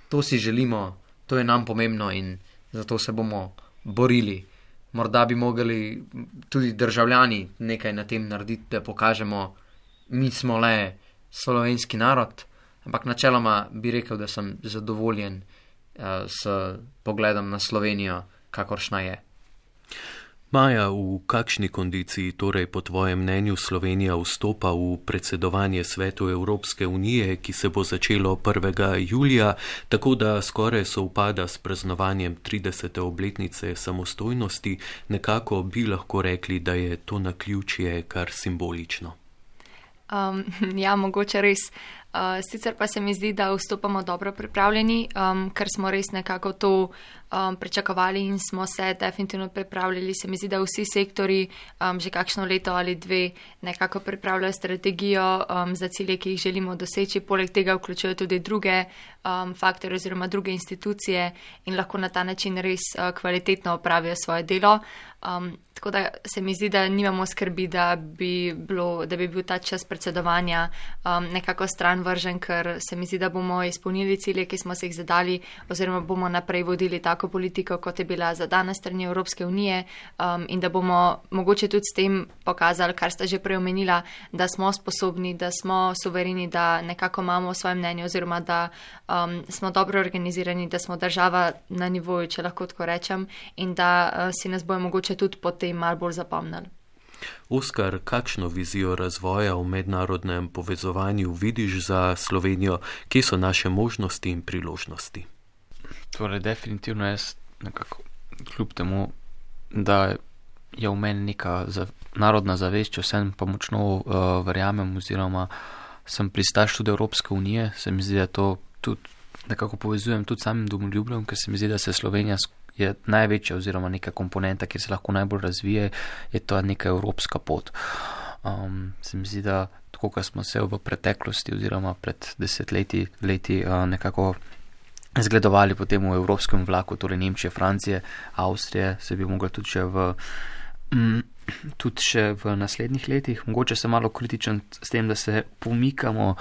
to si želimo, to je nam pomembno in zato se bomo borili. Morda bi mogli tudi državljani nekaj na tem narediti, da pokažemo, mi smo le slovenski narod, ampak načeloma bi rekel, da sem zadovoljen s pogledom na Slovenijo, kakoršna je. Maja, v kakšni kondiciji torej po tvojem mnenju Slovenija vstopa v predsedovanje Svetu Evropske unije, ki se bo začelo 1. julija, tako da skoraj sovpada s praznovanjem 30. obletnice samostojnosti, nekako bi lahko rekli, da je to naključje kar simbolično. Ja, mogoče res. Sicer pa se mi zdi, da vstopamo dobro pripravljeni, ker smo res nekako to pričakovali in smo se definitivno pripravljali. Se mi zdi, da vsi sektori že kakšno leto ali dve nekako pripravljajo strategijo za cilje, ki jih želimo doseči. Poleg tega vključujejo tudi druge faktore oziroma druge institucije in lahko na ta način res kvalitetno opravijo svoje delo. Tako da se mi zdi, da nimamo skrbi, da bi bil ta čas predsedovanja nekako stran vržen, ker se mi zdi, da bomo izpolnili cilje, ki smo se jih zadali, oziroma bomo naprej vodili tako politiko, kot je bila zadana strani Evropske unije, in da bomo mogoče tudi s tem pokazali, kar sta že prej omenila, da smo sposobni, da smo suvereni, da nekako imamo svoje mnenje, oziroma da smo dobro organizirani, da smo država na nivoju, če lahko tako rečem, in da si nas bojo mogoče tudi potem malo bolj zapomnili. Oskar, kakšno vizijo razvoja v mednarodnem povezovanju vidiš za Slovenijo? Kje so naše možnosti in priložnosti? Torej, definitivno jaz nekako kljub temu, da je v meni neka narodna zavest, če vsem pa močno verjamem oziroma sem pristaš tudi Evropske unije, se mi zdi, da to tudi nekako povezujem tudi samim domoljubljem, ker se mi zdi, da se Slovenija je največja oziroma neka komponenta, kjer se lahko najbolj razvije, je to neka evropska pot. Se mi zdi, da tako, kot smo se v preteklosti oziroma pred 10 leti nekako zgledovali potem v evropskem vlaku, torej Nemčije, Francije, Avstrije, se bi mogli tudi še v naslednjih letih. Mogoče sem malo kritičen s tem, da se pomikamo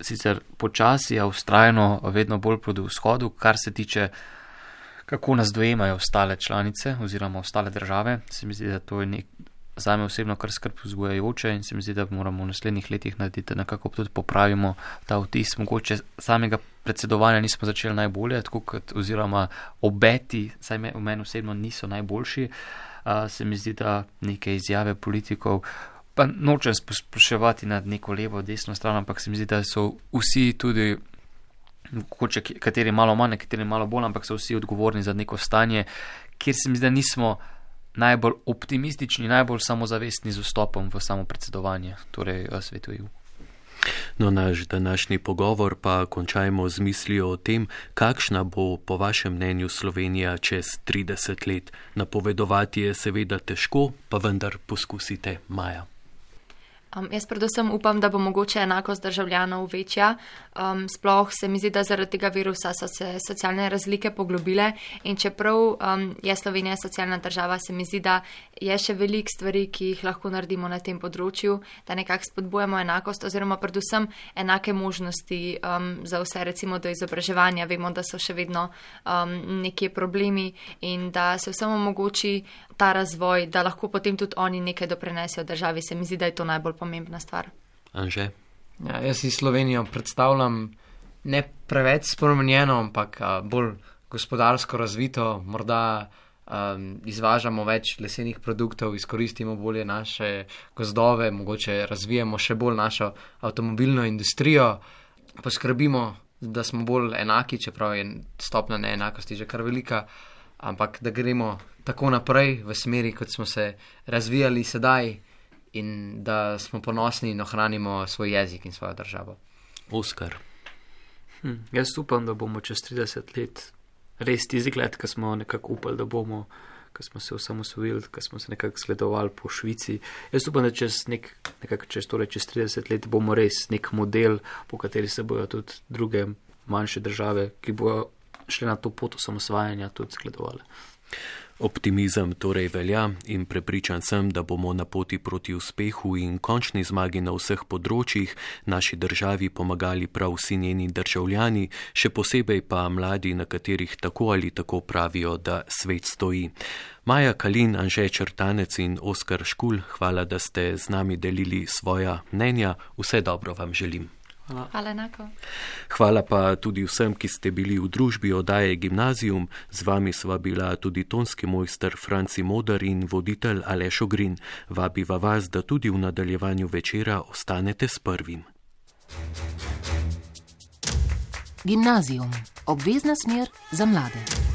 sicer počasi, a vztrajno vedno bolj proti vzhodu, kar se tiče kako nas dojemajo ostale članice oziroma ostale države. Se mi zdi, da to je zame osebno kar skrb vzbujajoče in se mi zdi, da moramo v naslednjih letih narediti, nekako tudi popravimo ta vtis. Mogoče samega predsedovanja nismo začeli najbolje, tako kot oziroma obeti, saj v meni osebno niso najboljši. Se mi zdi, da neke izjave politikov, pa nočem spraševati nad neko levo, desno stran, ampak se mi zdi, da so vsi tudi kateri malo manj, kateri malo bolj, ampak so vsi odgovorni za neko stanje, kjer se mi zdi, da nismo najbolj optimistični, najbolj samozavestni z vstopom v samo predsedovanje, torej svetu EU. No, naš današnji pogovor pa končajmo z mislijo o tem, kakšna bo po vašem mnenju Slovenija čez 30 let. Napovedovati je seveda težko, pa vendar poskusite, Maja. Jaz predvsem upam, da bo mogoče enakost državljanov večja. Sploh se mi zdi, da zaradi tega virusa so se socialne razlike poglobile in čeprav je Slovenija socialna država, se mi zdi, da je še veliko stvari, ki jih lahko naredimo na tem področju, da nekako spodbujamo enakost oziroma predvsem enake možnosti za vse, recimo do izobraževanja. Vemo, da so še vedno nekje problemi in da se vsem omogoči ta razvoj, da lahko potem tudi oni nekaj doprinesejo državi. Se mi zdi, da je to najbolj pomembna stvar. Anže? Ja, jaz si Slovenijo predstavljam ne preveč spremenjeno, ampak bolj gospodarsko razvito, morda izvažamo več lesenih produktov, izkoristimo bolje naše gozdove, mogoče razvijamo še bolj našo avtomobilno industrijo, poskrbimo, da smo bolj enaki, čeprav je stopnja neenakosti že kar velika, ampak da gremo tako naprej v smeri, kot smo se razvijali sedaj in da smo ponosni in ohranimo svoj jezik in svojo državo. Oskar. Jaz upam, da bomo čez 30 let res tisti gled, ki smo nekako upali, da bomo, ki smo se osamosvojili, ki smo se nekako sledovali po Švici. Jaz upam, da čez 30 let bomo res nek model, po kateri se bojo tudi druge manjše države, ki bojo šli na to pot osamosvajanja, tudi zgledovali. Optimizem torej velja in prepričan sem, da bomo na poti proti uspehu in končni zmagi na vseh področjih naši državi pomagali prav vsi njeni državljani, še posebej pa mladi, na katerih tako ali tako pravijo, da svet stoji. Maja Kalin, Anže Črtanec in Oskar Škulj, hvala, da ste z nami delili svoja mnenja. Vse dobro vam želim. Hvala enako. Hvala pa tudi vsem, ki ste bili v družbi oddaje Gimnazium. Z vami sva bila tudi tonski mojster Franci Moder in voditelj Aleš Ogrin. Vabiva vas, da tudi v nadaljevanju večera ostanete s prvim. Gimnazium. Obvezna smer za mlade.